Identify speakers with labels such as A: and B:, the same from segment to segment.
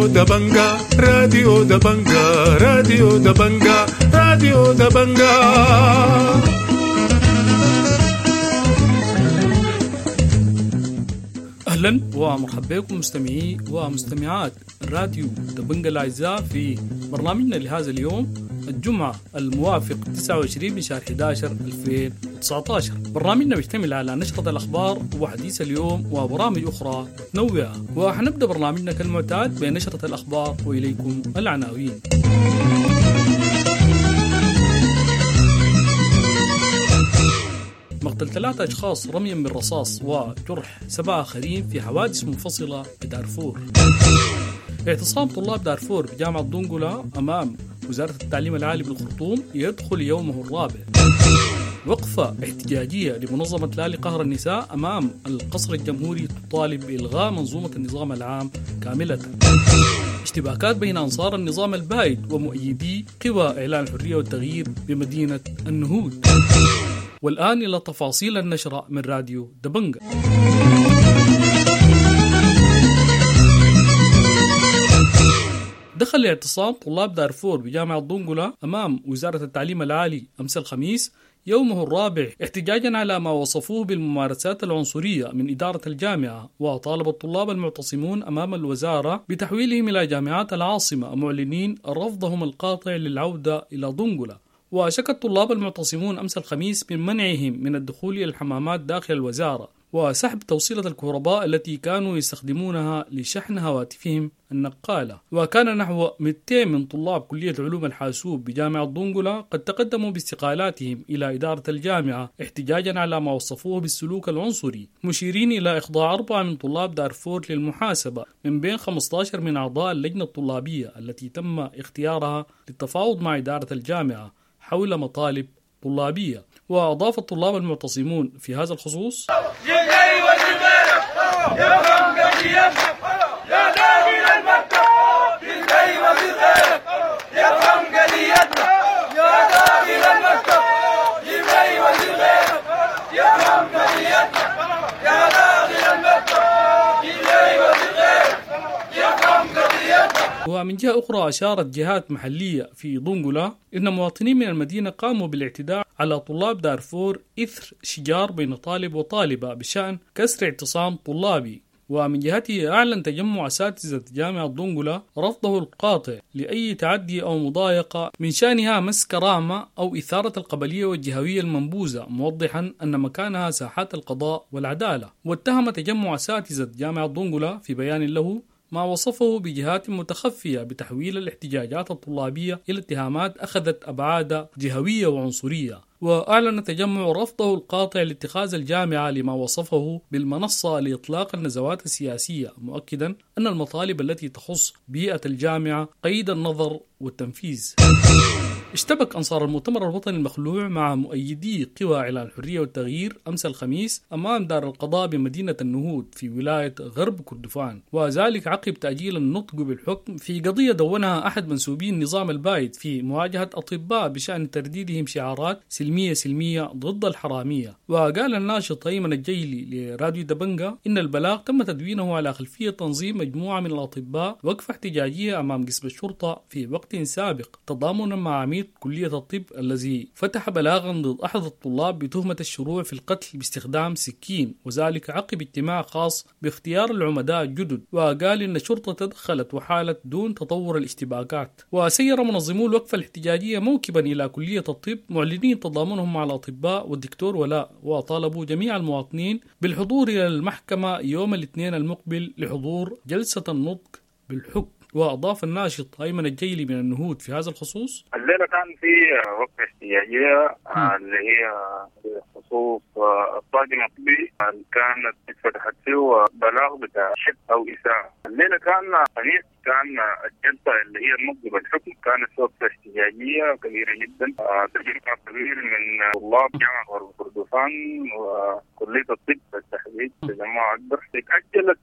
A: راديو دبنجا، راديو دبنجا، راديو دبنجا، راديو دبنجا.
B: اهلا ومرحبا بكم مستمعي ومستمعات راديو دبنجا الاعزاء في برنامجنا لهذا اليوم الجمعة الموافق 29 من شهر 11 2019. برنامجنا بيشتمل على نشرة الأخبار وحديث اليوم وبرامج أخرى متنوعة، وحنبدأ برنامجنا كالمعتاد بنشرة الأخبار وإليكم العناوين. مقتل 3 أشخاص رميا بالرصاص وجرح 7 آخرين في حوادث منفصلة بدارفور. اعتصام طلاب دارفور بجامعة دنقلا أمام وزارة التعليم العالي بالخرطوم يدخل يومه الرابع. وقفة احتجاجية لمنظمة لا لقهر النساء أمام القصر الجمهوري تطالب بإلغاء منظومة النظام العام كاملة. اشتباكات بين أنصار النظام البائد ومؤيدي قوى إعلان الحرية والتغيير بمدينة النهود. والآن إلى تفاصيل النشرة من راديو دبنجا. دخل اعتصام طلاب دارفور بجامعة دنقلا أمام وزارة التعليم العالي أمس الخميس يومه الرابع احتجاجا على ما وصفوه بالممارسات العنصرية من إدارة الجامعة، وطالب الطلاب المعتصمون أمام الوزارة بتحويلهم إلى جامعات العاصمة معلنين رفضهم القاطع للعودة إلى دنقلا. وشكى الطلاب المعتصمون أمس الخميس من منعهم من الدخول إلى الحمامات داخل الوزارة وسحب توصيلة الكهرباء التي كانوا يستخدمونها لشحن هواتفهم النقالة. وكان نحو 200 من طلاب كلية علوم الحاسوب بجامعة دنقلا قد تقدموا باستقالاتهم إلى إدارة الجامعة احتجاجا على ما وصفوه بالسلوك العنصري، مشيرين إلى إخضاع 4 من طلاب دارفور للمحاسبة من بين 15 من أعضاء اللجنة الطلابية التي تم اختيارها للتفاوض مع إدارة الجامعة حول مطالب طلابية. وأضاف الطلاب المعتصمون في هذا الخصوص: ومن جهة أخرى أشارت جهات محلية في دنقلا إن مواطنين من المدينة قاموا بالاعتداء على طلاب دارفور إثر شجار بين طالب وطالبة بشأن كسر اعتصام طلابي. ومن جهته أعلن تجمع أساتذة جامعة دنقلا رفضه القاطع لأي تعدي أو مضايقة من شأنها مس كرامة أو إثارة القبلية والجهوية المنبوذة، موضحا أن مكانها ساحات القضاء والعدالة. واتهم تجمع أساتذة جامعة دنقلا في بيان له ما وصفه بجهات متخفية بتحويل الاحتجاجات الطلابية إلى اتهامات أخذت أبعاد جهوية وعنصرية. وأعلن تجمع رفضه القاطع لاتخاذ الجامعة لما وصفه بالمنصة لإطلاق النزوات السياسية، مؤكدا أن المطالب التي تخص بيئة الجامعة قيد النظر والتنفيذ. اشتبك أنصار المؤتمر الوطني المخلوع مع مؤيدي قوى إعلان الحرية والتغيير أمس الخميس أمام دار القضاء بمدينة النهود في ولاية غرب كردفان، وذلك عقب تأجيل النطق بالحكم في قضية دونها أحد منسوبي النظام البائد في مواجهة أطباء بشأن ترديدهم شعارات سلمية سلمية ضد الحرامية. وقال الناشط أيمن الجيلي لراديو دبنجا إن البلاغ تم تدوينه على خلفية تنظيم مجموعة من الأطباء وقفة احتجاجية أمام قسم الشرطة في وقت سابق تضامنا مع عميد كلية الطب الذي فتح بلاغا ضد أحد الطلاب بتهمة الشروع في القتل باستخدام سكين، وذلك عقب اجتماع خاص باختيار العمداء الجدد. وقال إن الشرطة تدخلت وحالت دون تطور الاشتباكات. وسير منظمو الوقفة الاحتجاجية موكبا إلى كلية الطب معلنين تضامنهم مع الأطباء والدكتور ولاء، وطالبوا جميع المواطنين بالحضور إلى المحكمة يوم الاثنين المقبل لحضور جلسة النطق بالحكم. وأضاف الناشط أيمن الجيلي من النهود في هذا الخصوص:
C: الليلة كان في وقفة احتجاجية اللي هي بخصوص الطاقم الطبي اللي كانت اتفتحت فيه بلاغ بتاع شك أو إساءة. الليلة كان خميس، كان الجلسة اللي هي النطق بالحكم كانت وقفة احتجاجية كبيرة جدا، تجمع كبير من طلاب جامعة غرب كردفان وكلية الطب بالتحديد، تجمع أكبر. اتأجلت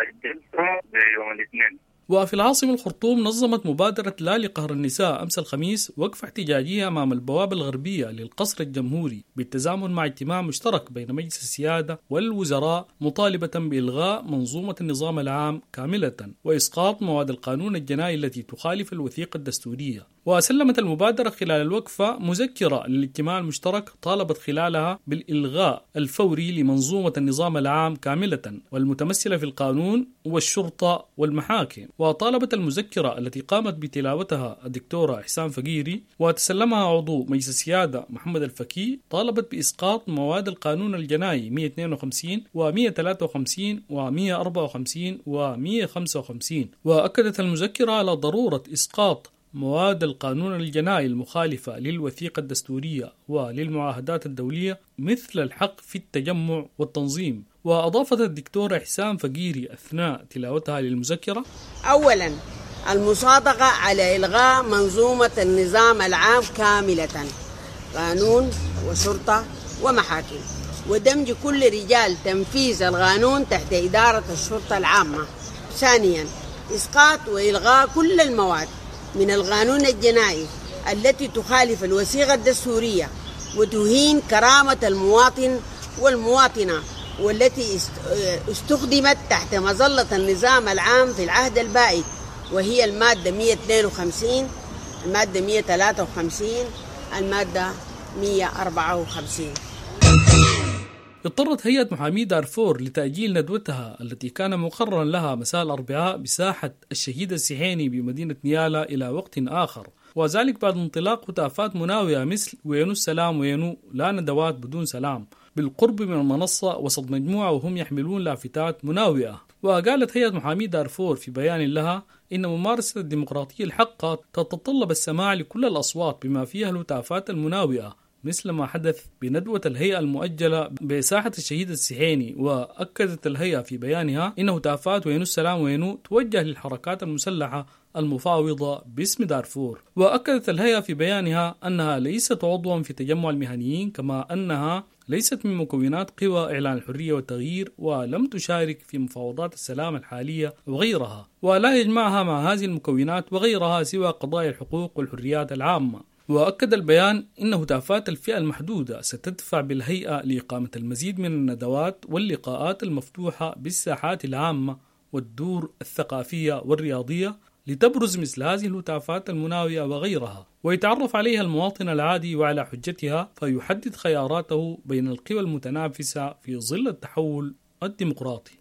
C: الجلسة ليوم الاثنين.
B: وفي العاصمة الخرطوم نظمت مبادرة لا لقهر النساء أمس الخميس وقفة احتجاجية أمام البوابة الغربية للقصر الجمهوري بالتزامن مع اجتماع مشترك بين مجلس السيادة والوزراء، مطالبة بإلغاء منظومة النظام العام كاملة وإسقاط مواد القانون الجنائي التي تخالف الوثيقة الدستورية. وسلمت المبادرة خلال الوقفة مذكرة للاجتماع المشترك طالبت خلالها بالإلغاء الفوري لمنظومة النظام العام كاملة والمتمثلة في القانون والشرطة والمحاكم. وطالبت المذكرة التي قامت بتلاوتها الدكتورة إحسان فقيري وتسلمها عضو مجلس السيادة محمد الفكي، طالبت بإسقاط مواد القانون الجنائي 152 و153 و154 و155. وأكدت المذكرة على ضرورة إسقاط مواد القانون الجنائي المخالفة للوثيقة الدستورية وللمعاهدات الدولية مثل الحق في التجمع والتنظيم. وأضافت الدكتورة إحسان فقيري أثناء تلاوتها للمذكرة:
D: أولا، المصادقة على إلغاء منظومة النظام العام كاملة، قانون وشرطة ومحاكم، ودمج كل رجال تنفيذ القانون تحت إدارة الشرطة العامة. ثانيا، إسقاط وإلغاء كل المواد من القانون الجنائي التي تخالف الوثيقة الدستورية وتهين كرامة المواطن والمواطنة، والتي استخدمت تحت مظلة النظام العام في العهد البائد، وهي المادة 152، المادة 153، المادة 154.
B: اضطرت هيئة محامي دارفور لتأجيل ندوتها التي كان مقررا لها مساء الأربعاء بساحة الشهيد السحيني بمدينة نيالا إلى وقت آخر، وذلك بعد انطلاق هتافات مناوئة مثل وينو السلام وينو لا ندوات بدون سلام بالقرب من المنصة وسط مجموعة وهم يحملون لافتات مناوئة. وقالت هيئة محامي دارفور في بيان لها إن ممارسة الديمقراطية الحقة تتطلب السماع لكل الأصوات بما فيها الهتافات المناوئة، مثل ما حدث بندوة الهيئة المؤجلة بساحة الشهيد السحيني. وأكدت الهيئة في بيانها إن هتافات وينو السلام وينو توجه للحركات المسلحة المفاوضة باسم دارفور. وأكدت الهيئة في بيانها أنها ليست عضوا في تجمع المهنيين، كما أنها ليست من مكونات قوى إعلان الحرية والتغيير، ولم تشارك في مفاوضات السلام الحالية وغيرها، ولا يجمعها مع هذه المكونات وغيرها سوى قضايا الحقوق والحريات العامة. وأكد البيان أن هتافات الفئة المحدودة ستدفع بالهيئة لإقامة المزيد من الندوات واللقاءات المفتوحة بالساحات العامة والدور الثقافية والرياضية لتبرز مثل هذه الهتافات المناوئة وغيرها، ويتعرف عليها المواطن العادي وعلى حجتها، فيحدد خياراته بين القوى المتنافسة في ظل التحول الديمقراطي.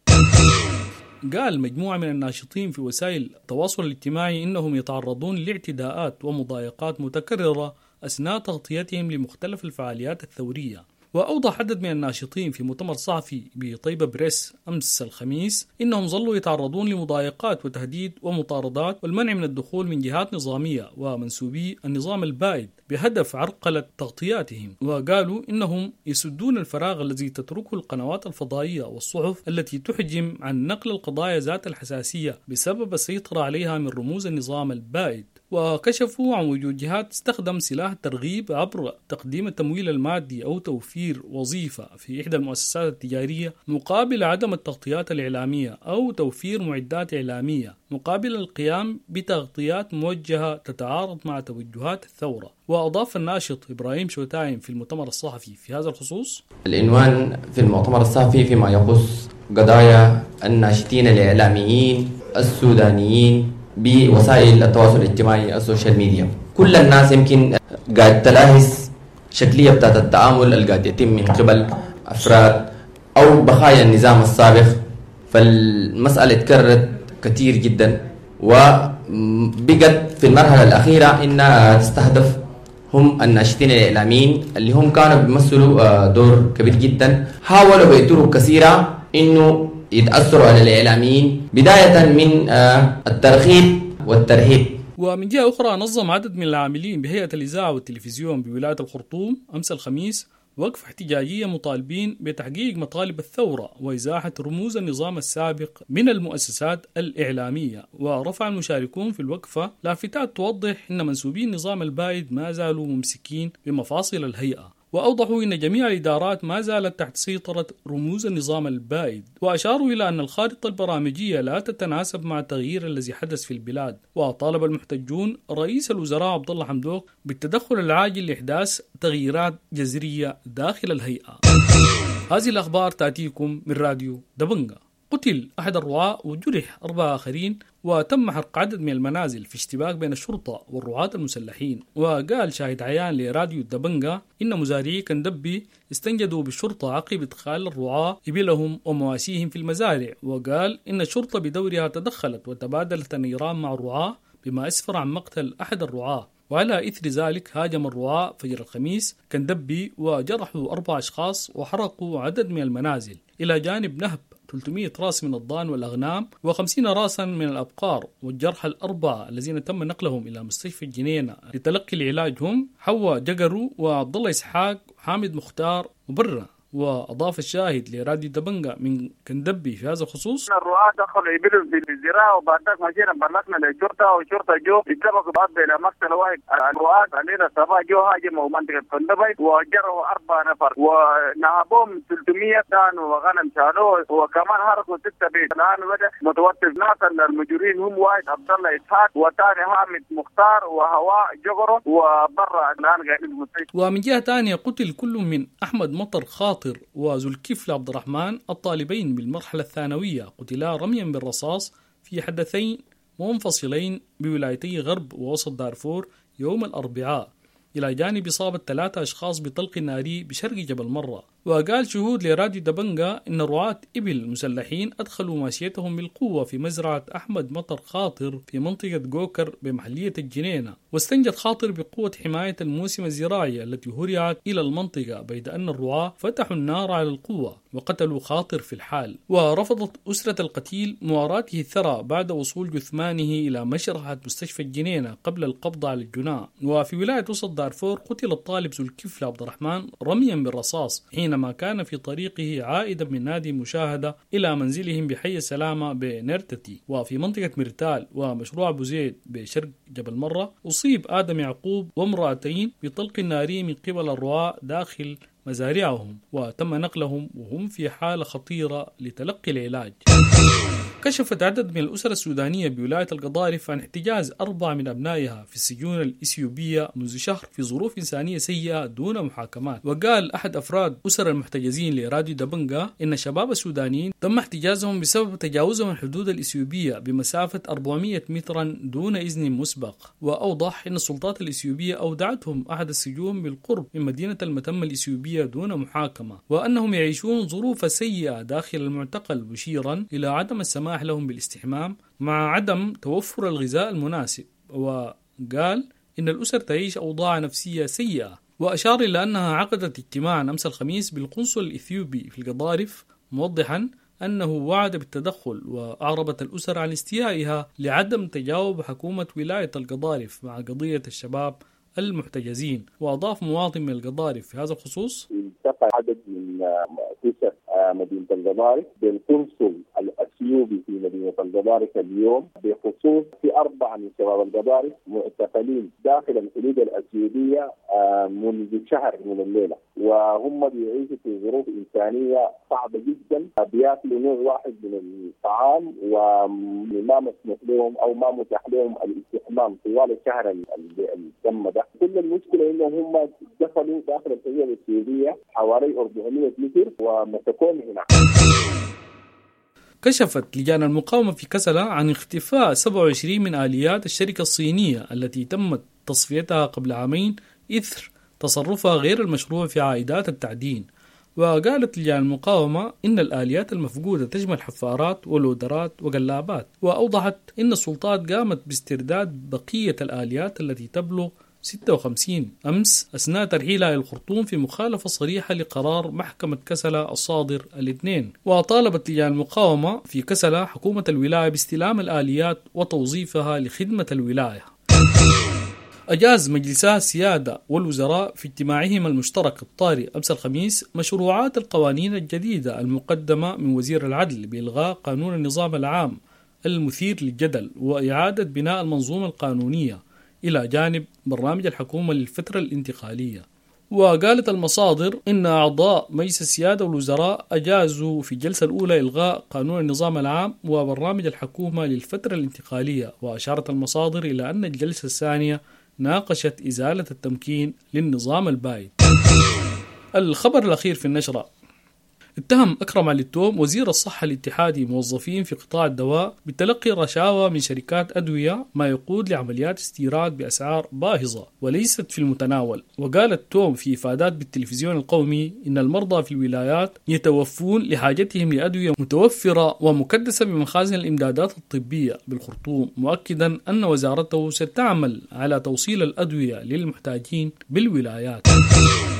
B: قال مجموعة من الناشطين في وسائل التواصل الاجتماعي إنهم يتعرضون لاعتداءات ومضايقات متكررة أثناء تغطيتهم لمختلف الفعاليات الثورية. وأوضح عدد من الناشطين في مؤتمر صحفي بطيبة بريس أمس الخميس إنهم ظلوا يتعرضون لمضايقات وتهديد ومطاردات والمنع من الدخول من جهات نظامية ومنسوبي النظام البائد بهدف عرقلة تغطياتهم. وقالوا إنهم يسدون الفراغ الذي تتركه القنوات الفضائية والصحف التي تحجم عن نقل القضايا ذات الحساسية بسبب السيطرة عليها من رموز النظام البائد. وكشفوا عن وجود جهات تستخدم سلاح الترغيب عبر تقديم التمويل المادي أو توفير وظيفة في إحدى المؤسسات التجارية مقابل عدم التغطيات الإعلامية، أو توفير معدات إعلامية مقابل القيام بتغطيات موجهة تتعارض مع توجهات الثورة. وأضاف الناشط إبراهيم شوتايم في المؤتمر الصحفي في هذا الخصوص:
E: العنوان في المؤتمر الصحفي فيما يخص قضايا الناشطين الإعلاميين السودانيين بوسائل التواصل الاجتماعي ال social media. كل الناس يمكن قاعد تلاحظ شكلية بتاعت التعامل اللي قاعد يتم من قبل أفراد أو بقايا النظام السابق. فالمسألة تكررت كثير جدا، وبقت في المرحلة الأخيرة إنها تستهدف هم الناشطين الإعلاميين اللي هم كانوا بيمثلوا دور كبير جدا. حاولوا بطرق كثيرة إنه يتأثروا على الإعلاميين، بداية من الترغيب والترهيب.
B: ومن جهة أخرى نظم عدد من العاملين بهيئة الإذاعة والتلفزيون بولاية الخرطوم أمس الخميس وقفة احتجاجية مطالبين بتحقيق مطالب الثورة وإزاحة رموز النظام السابق من المؤسسات الإعلامية. ورفع المشاركون في الوقفة لافتات توضح أن منسوبي النظام البائد ما زالوا ممسكين بمفاصل الهيئة. وأوضحوا أن جميع الإدارات ما زالت تحت سيطرة رموز النظام البائد، وأشاروا إلى أن الخارطة البرامجية لا تتناسب مع التغيير الذي حدث في البلاد. وطالب المحتجون رئيس الوزراء عبد الله حمدوك بالتدخل العاجل لإحداث تغييرات جذرية داخل الهيئة. هذه الأخبار تأتيكم من راديو دبنجا. قتل أحد الرعاة وجرح 4 آخرين، وتم حرق عدد من المنازل في اشتباك بين الشرطة والرعاة المسلحين. وقال شاهد عيان لراديو دبنجا إن مزارعي كندبي استنجدوا بالشرطة عقب إدخال الرعاة إبلهم ومواشيهم في المزارع. وقال إن الشرطة بدورها تدخلت وتبادلت النيران مع الرعاة، بما أسفر عن مقتل أحد الرعاة. وعلى إثر ذلك هاجم الرعاة فجر الخميس كندبي وجرحوا 4 أشخاص وحرقوا عدد من المنازل، إلى جانب نهب 300 راس من الضان والأغنام و50 راسا من الأبقار. والجرحى ال4 الذين تم نقلهم إلى مستشفى الجنينة لتلقي العلاج هم حوا جقرو وعبد الله إسحاق وحامد مختار وبرة. وأضاف الشاهد لراديو دبنجا من كندبي في هذا الخصوص:
C: الرعاة دخلوا يبلوا في الزراعة، وبعد ذلك مشينا بلغنا للشرطة، والشرطة جو اتفقوا بعض إلى مقتل واحد. الرعاة علينا الصباح جو هاجموا منطقة كندبي وجروا 4 نفر ونهبوهم 300 دان وغنم شالوه، وكمان حرقوا 6 بيت. الآن بدأ متوتر. ناس المجرمين هم واحد عبد الله إسحاق وثاني حامد مختار وهواء جغرو وبرا الآن قاعدين في المستشفى.
B: ومن جهة ثانية قتل كل من أحمد مطر خاطر وذو الكفل عبد الرحمن الطالبين بالمرحلة الثانوية، قتلا رميا بالرصاص في حدثين منفصلين بولايتي غرب ووسط دارفور يوم الأربعاء، إلى جانب إصابة 3 أشخاص بطلق ناري بشرق جبل مرة. وقال شهود لراديو دبنجا إن رعاة إبل مسلحين أدخلوا ماشيتهم بالقوة في مزرعة أحمد مطر خاطر في منطقة جوكر بمحلية الجنينة، واستنجد خاطر بقوة حماية الموسم الزراعي التي هرعت إلى المنطقة، بيد أن الرعاة فتحوا النار على القوة وقتلوا خاطر في الحال. ورفضت أسرة القتيل مواراته الثرى بعد وصول جثمانه إلى مشرحة مستشفى الجنينة قبل القبض على الجناة. وفي ولاية وسط دارفور قتل الطالب ذو الكفل عبد الرحمن رميا بالرصاص حينما كان في طريقه عائدا من نادي مشاهدة إلى منزلهم بحي السلامة بنرتتي. وفي منطقة مرتال ومشروع أبو زيد بشرق جبل مرة أصيب آدم يعقوب وامرأتين بطلق ناري من قبل الرعاة داخل مزارعهم، وتم نقلهم وهم في حالة خطيرة لتلقي العلاج. كشفت عدد من الأسر السودانية بولاية القضارف عن احتجاز 4 من أبنائها في السجون الإثيوبية منذ شهر في ظروف إنسانية سيئة دون محاكمات. وقال أحد أفراد أسر المحتجزين لراديو دبنجا إن الشباب السودانيين تم احتجازهم بسبب تجاوزهم الحدود الإثيوبية بمسافة 400 مترا دون إذن مسبق. وأوضح إن السلطات الإثيوبية أودعتهم أحد السجون بالقرب من مدينة المتمة الإثيوبية دون محاكمة، وأنهم يعيشون ظروف سيئة داخل المعتقل، مشيرا إلى عدم السماح لهم بالاستحمام مع عدم توفر الغذاء المناسب. وقال إن الأسر تعيش أوضاع نفسية سيئة. وأشار إلى أنها عقدت اجتماعا أمس الخميس بالقنصل الإثيوبي في القضارف، موضحا أنه وعد بالتدخل. وأعربت الأسر عن استيائها لعدم تجاوب حكومة ولاية القضارف مع قضية الشباب المحتجزين. وأضاف مواطن من القضارف في هذا الخصوص:
F: التقى عدد من أسر مدينة القضارف بالقنصل الأثيوبي في مدينة القضارف اليوم بخصوص في 4 من شباب القضارف معتقلين داخل الحدود الأثيوبية منذ شهر من الليلة، وهم بيعيشوا في ظروف إنسانية صعبة جدا، بياكلوا نوع واحد من الطعام وما مسموح لهم أو ما متاح لهم الاستحمام طوال الشهر التم ده. كل المشكلة إنهم هم دخلوا داخل الحدود الأثيوبية حوالي 400 متر ومسكوهم هناك.
B: كشفت لجان المقاومة في كسلا عن اختفاء 27 من آليات الشركة الصينية التي تمت تصفيتها قبل عامين إثر تصرفها غير المشروع في عائدات التعدين. وقالت لجان المقاومة إن الآليات المفقودة تشمل حفارات ولودرات وقلابات. وأوضحت إن السلطات قامت باسترداد بقية الآليات التي تبلغ 56 أمس أثناء ترحيلها إلى الخرطوم في مخالفة صريحة لقرار محكمة كسلا الصادر الاثنين. وطالبت لجان المقاومة في كسلا حكومة الولاية باستلام الآليات وتوظيفها لخدمة الولاية. أجاز مجلسا السيادة والوزراء في اجتماعهما المشترك الطارئ أمس الخميس مشروعات القوانين الجديدة المقدمة من وزير العدل بإلغاء قانون النظام العام المثير للجدل وإعادة بناء المنظومة القانونية إلى جانب برنامج الحكومة للفترة الانتقالية. وقالت المصادر إن أعضاء مجلس السيادة والوزراء أجازوا في الجلسة الأولى إلغاء قانون النظام العام وبرنامج الحكومة للفترة الانتقالية. وأشارت المصادر إلى أن الجلسة الثانية ناقشت إزالة التمكين للنظام البائد. الخبر الأخير في النشرة: اتهم أكرم علي التوم وزير الصحة الاتحادي موظفين في قطاع الدواء بتلقي رشاوى من شركات أدوية، ما يقود لعمليات استيراد بأسعار باهظة وليست في المتناول. وقال التوم في إفادات بالتلفزيون القومي إن المرضى في الولايات يتوفون لحاجتهم لأدوية متوفرة ومكدسة بمخازن الإمدادات الطبية بالخرطوم، مؤكدا أن وزارته ستعمل على توصيل الأدوية للمحتاجين بالولايات.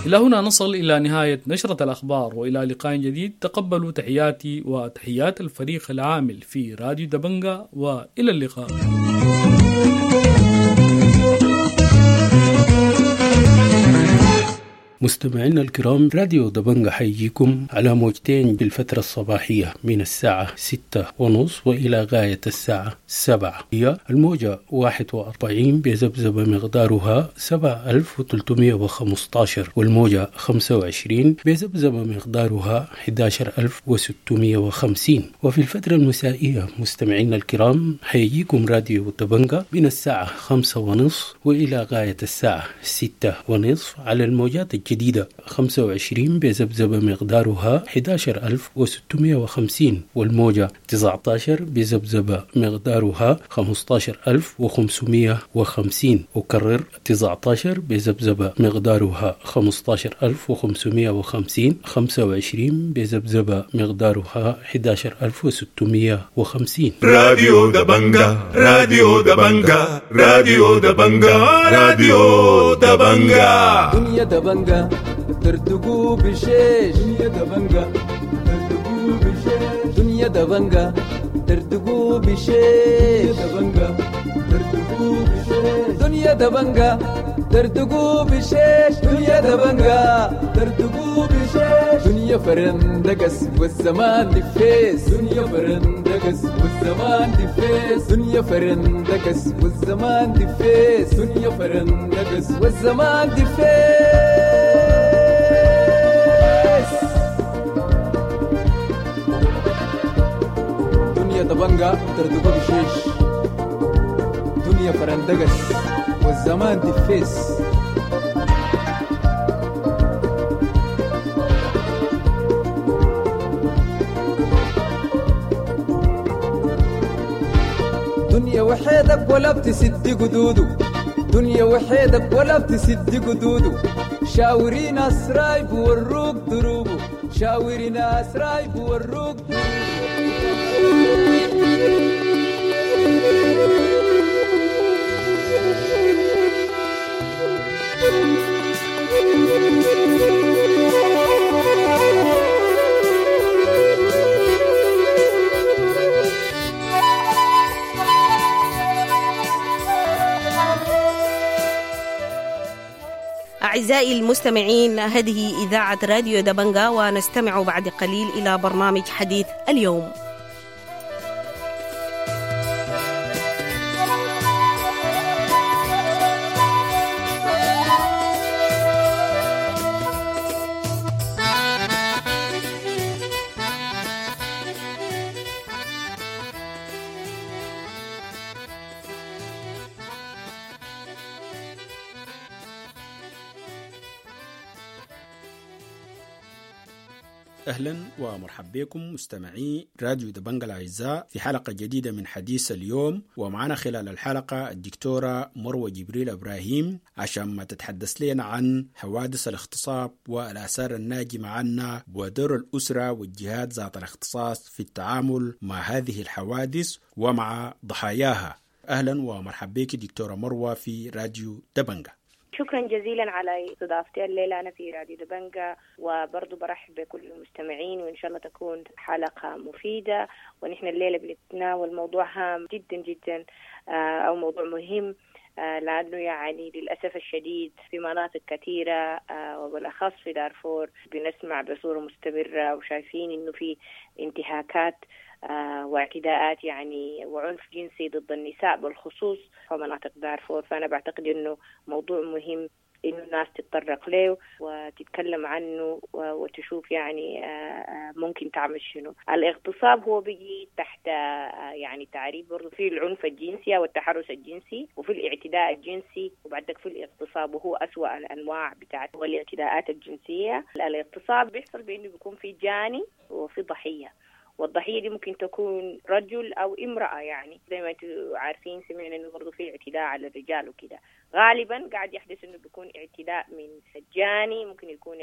B: إلى هنا نصل إلى نهاية نشرة الأخبار، وإلى لقاء جديد. تقبلوا تحياتي وتحيات الفريق العامل في راديو دبنجا، وإلى اللقاء.
G: مستمعينا الكرام، راديو دبنجا حيجيكم على موجتين بالفترة الصباحية من الساعة 6:30 وإلى غاية الساعة 7. هي الموجة 41 بذبذبة مقدارها 7315، والموجة 25 بذبذبة مقدارها 11650. وفي الفترة المسائية مستمعينا الكرام حيجيكم راديو دبنجا من الساعة 5:30 وإلى غاية الساعة 6:30 على الموجات الجديدة 25 بذبذبة مقدارها 11650، والموجة 19 بذبذبة مقدارها 15550. أكرر، 19 بذبذبة مقدارها 15550، 25 بذبذبة مقدارها 11650.
A: راديو دبنجا، راديو دبنجا، راديو دبنجا، راديو دبنجا.
H: دنيا دبنجا ترتقو بشيش، دنيا دبنجا ترتقو بشيش، دنيا دبنجا ترتقو بشيش، دبنجا ترتقو بشيش، دنيا دبنجا ترتقو بشيش، دنيا دبنجا ترتقو بشيش، دنيا فرندقس والزمان دفيس، دنيا فرندقس والزمان دفيس، دنيا فرندقس والزمان دفيس، دنيا فرندقس والزمان دفيس. دنيا دبنجا ترتقو بشيش، دنيا فرندقس والزمان دفيس. دنيا وحيدك ولا بتسد قدوده، دنيا وحيدك ولا بتسد قدوده، شاوري ناس رايب وروك دروبه، شاوري ناس رايب وروك دروبه.
D: أعزائي المستمعين، هذه إذاعة راديو دبنجا، ونستمع بعد قليل إلى برنامج حديث اليوم.
I: أهلا ومرحبا بكم مستمعي راديو دبنجا الأعزاء في حلقة جديدة من حديث اليوم، ومعنا خلال الحلقة الدكتورة مروة جبريل إبراهيم عشان ما تتحدث لنا عن حوادث الاغتصاب والآثار الناجمة عنها ودور الأسرة والجهات ذات الاختصاص في التعامل مع هذه الحوادث ومع ضحاياها. أهلا ومرحبا بك دكتورة مروة في راديو دبنجا.
J: شكرا جزيلا على استضافتي الليلة أنا في راديو دبنجا، وبرضو برحب بكل المستمعين، وإن شاء الله تكون حلقة مفيدة. ونحن الليلة بنتناول موضوع هام جدا جدا أو موضوع مهم، لأنه يعني للأسف الشديد في مناطق كثيرة وبالأخص في دارفور بنسمع بصورة مستمرة وشايفين إنه في انتهاكات واعتداءات يعني وعنف جنسي ضد النساء بالخصوص في مناطق دارفور. فأنا بعتقد إنه موضوع مهم إنه الناس تتطرق له وتتكلم عنه وتشوف يعني ممكن تعمل شنو. الاغتصاب هو بيجي تحت يعني تعريف برضه في العنف الجنسي والتحرش الجنسي، وفي الاعتداء الجنسي، وبعدك في الاغتصاب، وهو أسوأ الأنواع بتاعت الاعتداءات الجنسية. الاغتصاب بيحصل بأنه بيكون في جاني وفي ضحية، والضحية دي ممكن تكون رجل أو امرأة. يعني زي ما انتم عارفين سمعنا إنه برضه في اعتداء على الرجال وكده. غالبا قاعد يحدث إنه بيكون اعتداء من الجاني، ممكن يكون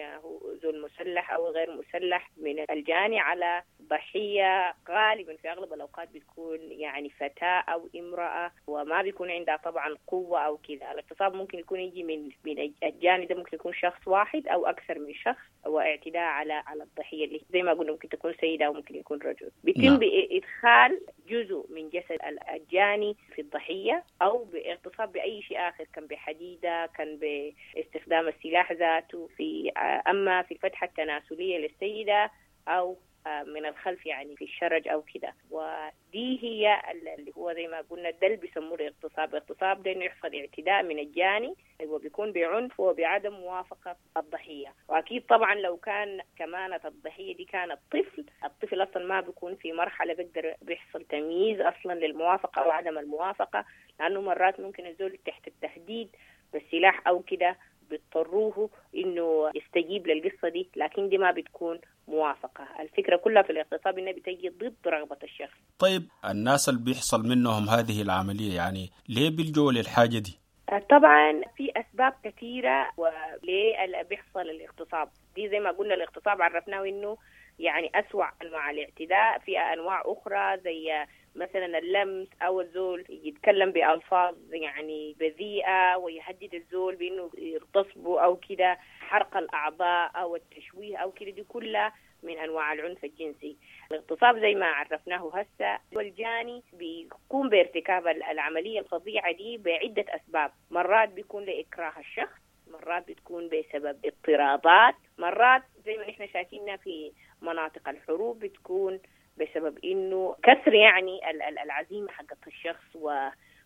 J: زول مسلح أو غير مسلح، من الجاني على ضحية. غالبا في أغلب الأوقات بتكون يعني فتاة أو امرأة، وما بيكون عندها طبعا قوة أو كده. الاغتصاب ممكن يكون يجي من الجاني ده، ممكن يكون شخص واحد أو أكثر من شخص، واعتداء على الضحية اللي زي ما قلنا ممكن تكون سيدة أو ممكن يكون رجل. بيتم بإدخال جزء من جسد الجاني في الضحية، أو باغتصاب بأي شيء آخر، كان بحديدة، كان باستخدام السلاح ذاته، في أما في الفتحة التناسلية للسيدة أو من الخلف يعني في الشرج أو كده. ودي هي اللي هو زي ما قلنا ده اللي بيسموه الاغتصاب. الاغتصاب ده إنه يحصل اعتداء من الجاني، وبيكون بعنف وبعدم موافقة الضحية. وأكيد طبعا لو كان كمان الضحية دي كانت طفل، الطفل أصلا ما بيكون في مرحلة بيقدر بيحصل تمييز أصلا للموافقة أو عدم الموافقة، لأنه مرات ممكن الزول تحت التهديد بالسلاح أو كده بيضطروه إنه يستجيب للقصة دي، لكن دي ما بتكون موافقة. الفكرة كلها في الاغتصاب إنها بتجي ضد رغبة الشخص.
I: طيب الناس اللي بيحصل منهم هذه العملية يعني ليه بيلجوا للحاجة دي؟
J: طبعا في أسباب كثيرة وليه بيحصل الاغتصاب دي. زي ما قلنا الاغتصاب عرفناه إنه يعني أسوأ أنواع الاعتداء. في أنواع أخرى زي مثلا اللمس، أو الزول يتكلم بألفاظ يعني بذيئة ويهدد الزول بأنه يغتصبه أو كده، حرق الأعضاء أو التشويه أو كده، دي كلها من أنواع العنف الجنسي. الاغتصاب زي ما عرفناه هسه، والجاني بيقوم بارتكاب العملية الفظيعة دي بعدة أسباب. مرات بيكون لإكراه الشخص، مرات بتكون بسبب اضطرابات، مرات زي ما نحن شايفينها في مناطق الحروب بتكون بسبب إنه كسر يعني العزيمة حقت الشخص،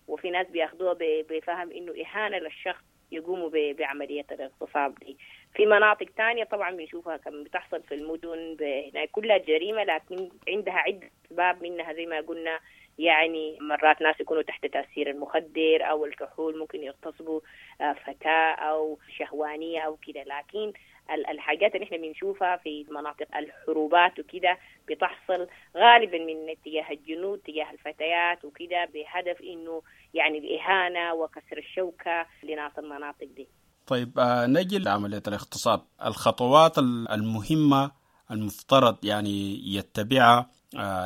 J: وفي ناس بياخدوها بفهم إنه إهانة للشخص يقوموا بعملية الاغتصاب دي. في مناطق تانية طبعا بنشوفها كم بتحصل في المدن، هناك كلها جريمة لكن عندها عدة أسباب، منها زي ما قلنا يعني مرات ناس يكونوا تحت تأثير المخدر أو الكحول، ممكن يغتصبوا فتاة أو شهوانية أو كده. لكن الحاجات اللي احنا بنشوفها في مناطق الحروبات وكده بتحصل غالبا من اتجاه الجنود تجاه الفتيات وكده، بهدف انه يعني الإهانة وكسر الشوكة لناس المناطق دي.
I: طيب نجي لعملية الاغتصاب، الخطوات المهمة المفترض يعني يتبعها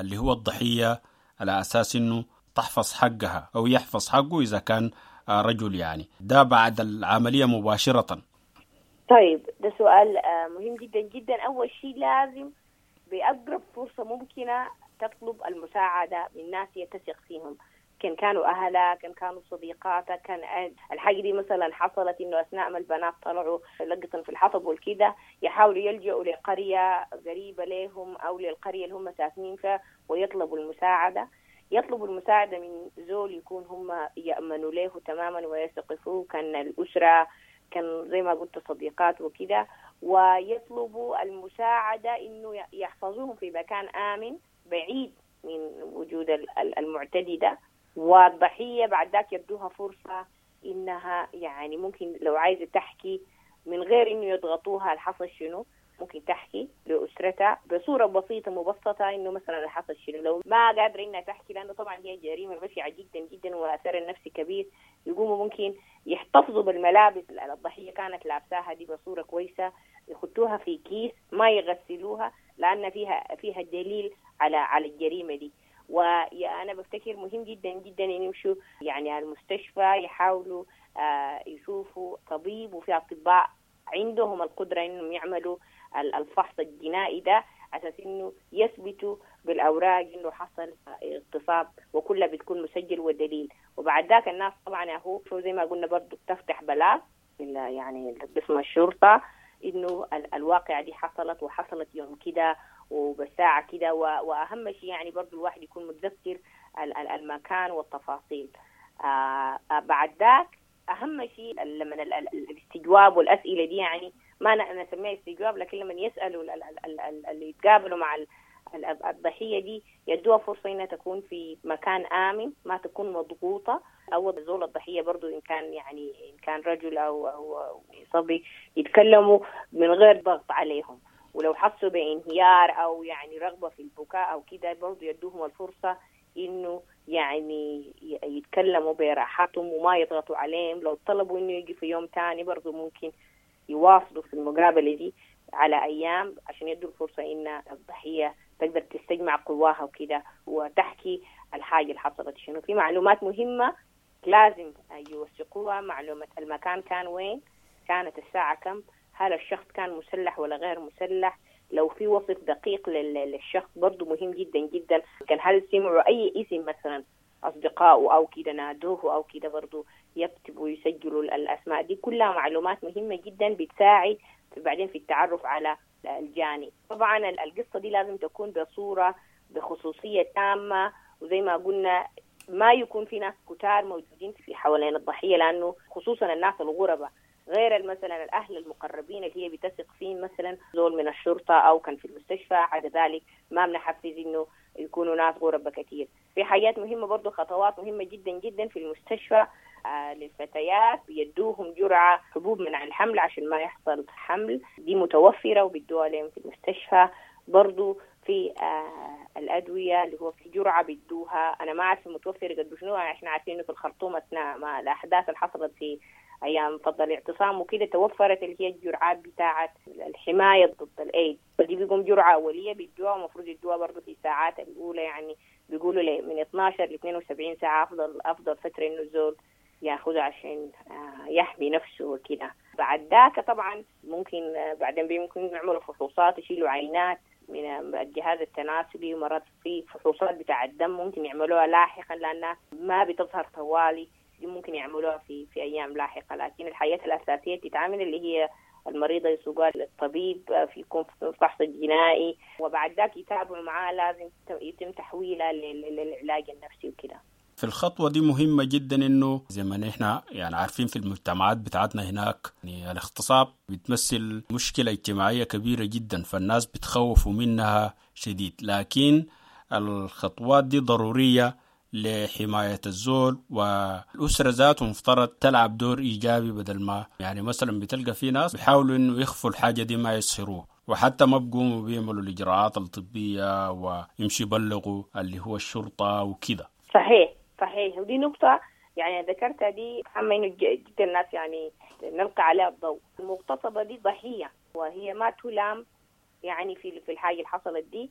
I: اللي هو الضحية على أساس إنه تحفظ حقها أو يحفظ حقه إذا كان رجل، يعني ده بعد العملية مباشرة.
J: طيب ده سؤال مهم جدا جدا. أول شيء لازم بأقرب فرصة ممكنة تطلب المساعدة من ناس يتثق فيهم، كان كانوا أهلها، كان كانوا صديقاتها، كان الحاجة دي مثلا حصلت إنه أثناء ما البنات طلعوا لقطا في الحطب والكده، يحاولوا يلجأوا لقرية قريبة لهم أو للقرية اللي هم ساكنين فيها ويطلبوا المساعدة. يطلبوا المساعدة من زول يكون هم يأمنوا له تماما ويثقوا، كان الأسرة، كان زي ما قلت صديقات وكده، ويطلبوا المساعدة إنه يحفظوهم في مكان آمن بعيد من وجود المعتدي ده. والضحية بعد ذاك يدوها فرصة إنها يعني ممكن لو عايزة تحكي من غير إنه يضغطوها الحصل شنو، ممكن تحكي لأسرتها بصورة بسيطة مبسطة إنه مثلا الحصل شنو. لو ما قادرة إنها تحكي، لأنه طبعا هي جريمة بشعة جدا جدا وأثر النفسي كبير، يقوموا ممكن يحتفظوا بالملابس اللي الضحية كانت لابساها دي بصورة كويسة، يحطوها في كيس ما يغسلوها لأن فيها دليل على الجريمة دي. وأنا بفتكر مهم جدا جدا إن يمشوا يعني المستشفى، يحاولوا يشوفوا طبيب، وفي أطباء عندهم القدرة إنهم يعملوا الفحص الجنائي ده أساس إنه يثبتوا بالأوراق إنه حصل اغتصاب، وكلها بتكون مسجل ودليل. وبعد ذاك الناس طبعا هو زي ما قلنا برضو بتفتح بلاغ يعني قسم الشرطة إنه الواقعة دي حصلت، وحصلت يوم كده وبساعة كده. وأهم شيء يعني برضو الواحد يكون متذكر المكان والتفاصيل. بعد ذاك أهم شيء لما الاستجواب والأسئلة دي، يعني ما نسميها استجواب، لكن لما يسألوا اللي يتقابلوا مع الضحية دي يدوها فرصة إنها تكون في مكان آمن، ما تكون مضغوطة. أو زول الضحية برضو إن كان يعني إن كان رجل أو صبي يتكلموا من غير ضغط عليهم، ولو حسوا بانهيار أو يعني رغبة في البكاء أو كده برضو يدوهم الفرصة إنه يعني يتكلموا براحتهم وما يضغطوا عليهم. لو طلبوا إنه يجي في يوم تاني برضو ممكن يواصلوا في المقابلة دي على أيام عشان يدوا الفرصة إن الضحية تقدر تستجمع قواها وكده وتحكي الحاجة اللي حصلت شنو. في معلومات مهمة لازم يوثقوها، معلومة المكان كان وين، كانت الساعة كم، هل الشخص كان مسلح ولا غير مسلح، لو في وصف دقيق للشخص برضو مهم جدا جدا، كان هل سمعوا أي اسم مثلا أصدقائه أو كده نادوه أو كده برضو يكتبوا ويسجلوا الأسماء دي. كلها معلومات مهمة جدا بتساعد بعدين في التعرف على الجاني. طبعا القصة دي لازم تكون بصورة بخصوصية تامة، وزي ما قلنا ما يكون في ناس كتار موجودين في حوالين الضحية، لأنه خصوصا الناس الغرباء غير مثلا الأهل المقربين اللي هي بتثق فيه، مثلا زول من الشرطة أو كان في المستشفى، عدا ذلك ما بنحفز إنه يكونوا ناس غرباء كتير. في حاجات مهمة برضو، خطوات مهمة جدا جدا في المستشفى للفتيات، بيدوهم جرعة حبوب منع الحمل عشان ما يحصل حمل، دي متوفرة وبيدوها لهم في المستشفى. برضو في الأدوية اللي هو في جرعة بيدوها، أنا ما عارفة متوفرة قد شنو، احنا عارفين إنه في الخرطوم أثناء ما الأحداث اللي حصلت في أيام فضل الاعتصام وكده توفرت اللي هي الجرعات بتاعة الحماية ضد الإيدز، فدي بيقوم جرعة أولية بيدوها، ومفروض يدوها برضو في الساعات الأولى، يعني بيقولوا من 12 ل 72 ساعة أفضل فترة إنه الزول ياخذها عشان يحمي نفسه وكده. بعد ذاك طبعا ممكن بعدين ممكن يعملوا فحوصات، يشيلوا عينات من الجهاز التناسلي، ومرات في فحوصات بتاع الدم ممكن يعملوها لاحقا لأنها ما بتظهر طوالي، دي ممكن يعملوها في أيام لاحقة. لكن الحاجات الأساسية تتعامل اللي هي المريضة يسوقها للطبيب، في يكون فحص جنائي، وبعد ذاك يتابعوا معاه، لازم يتم تحويلها للعلاج النفسي وكده.
I: في الخطوة دي مهمة جدا، إنه زي ما نحن يعني عارفين في المجتمعات بتاعتنا هناك يعني الاغتصاب بتمثل مشكلة اجتماعية كبيرة جدا، فالناس بتخوفوا منها شديد، لكن الخطوات دي ضرورية لحماية الزول، والأسرة ذاته مفترض تلعب دور إيجابي، بدل ما يعني مثلا بتلقى في ناس بيحاولوا إنه يخفوا الحاجة دي ما يسهروه، وحتى ما بقوموا بيعملوا الإجراءات الطبية ويمشي يبلغوا اللي هو الشرطة وكده.
J: صحيح صحيح، ودي نقطة يعني ذكرتها دي أهم إنه جدا الناس يعني نلقى عليها الضوء. المغتصبة دي ضحية وهي ما تلام يعني في الحاجة اللي حصلت دي،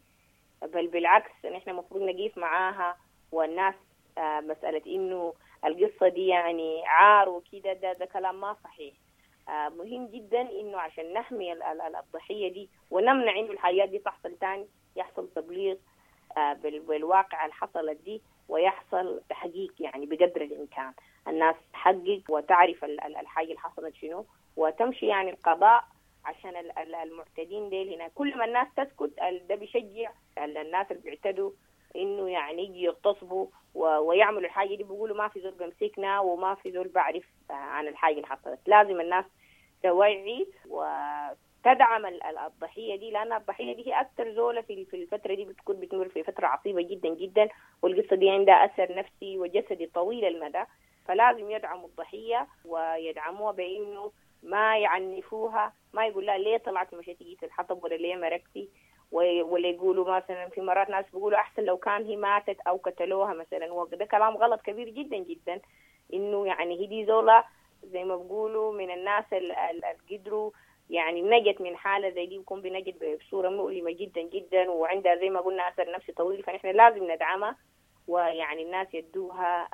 J: بل بالعكس نحن المفروض نقيف معاها. والناس مسألة إنه القصة دي يعني عار وكده، ده كلام ما صحيح. مهم جدا إنه عشان نحمي الضحية دي ونمنع إنه الحاجات دي تحصل تاني، يحصل تبليغ بالواقع اللي حصلت دي، ويحصل تحقيق يعني بقدر الإمكان، الناس تحقق وتعرف الحاجة اللي حصلت شنو، وتمشي يعني القضاء عشان المعتدين ديل هنا. كل ما الناس تسكت ده بيشجع الناس اللي بيعتدوا إنه يعني يجي يغتصبوا ويعملوا الحاجة دي، بيقولوا ما في زول بمسكنا وما في زول بعرف عن الحاجة اللي حصلت. لازم الناس توعي وتدعم الضحية دي، لأن الضحية دي هي أكثر زولة في الفترة دي بتكون بتمر في فترة عصيبة جدا جدا، والقصة دي عندها أثر نفسي وجسدي طويل المدى، فلازم يدعموا الضحية ويدعموها بإنه ما يعنفوها، ما يقول لها ليه طلعتي مشيتي جيتي الحطب ولا ليه مرقتي، ولا يقولوا مثلا في مرات ناس بيقولوا أحسن لو كان هي ماتت أو قتلوها مثلا، وده كلام غلط كبير جدا جدا. إنه يعني هي دي زولة زي ما بيقولوا من الناس اللي قدروا يعني نجت من حالة زي دي، بيكون بنجت بصورة مؤلمة جدا جدا، وعندها زي ما قلنا أثر نفسي طويل، فنحن لازم ندعمها ويعني الناس يدوها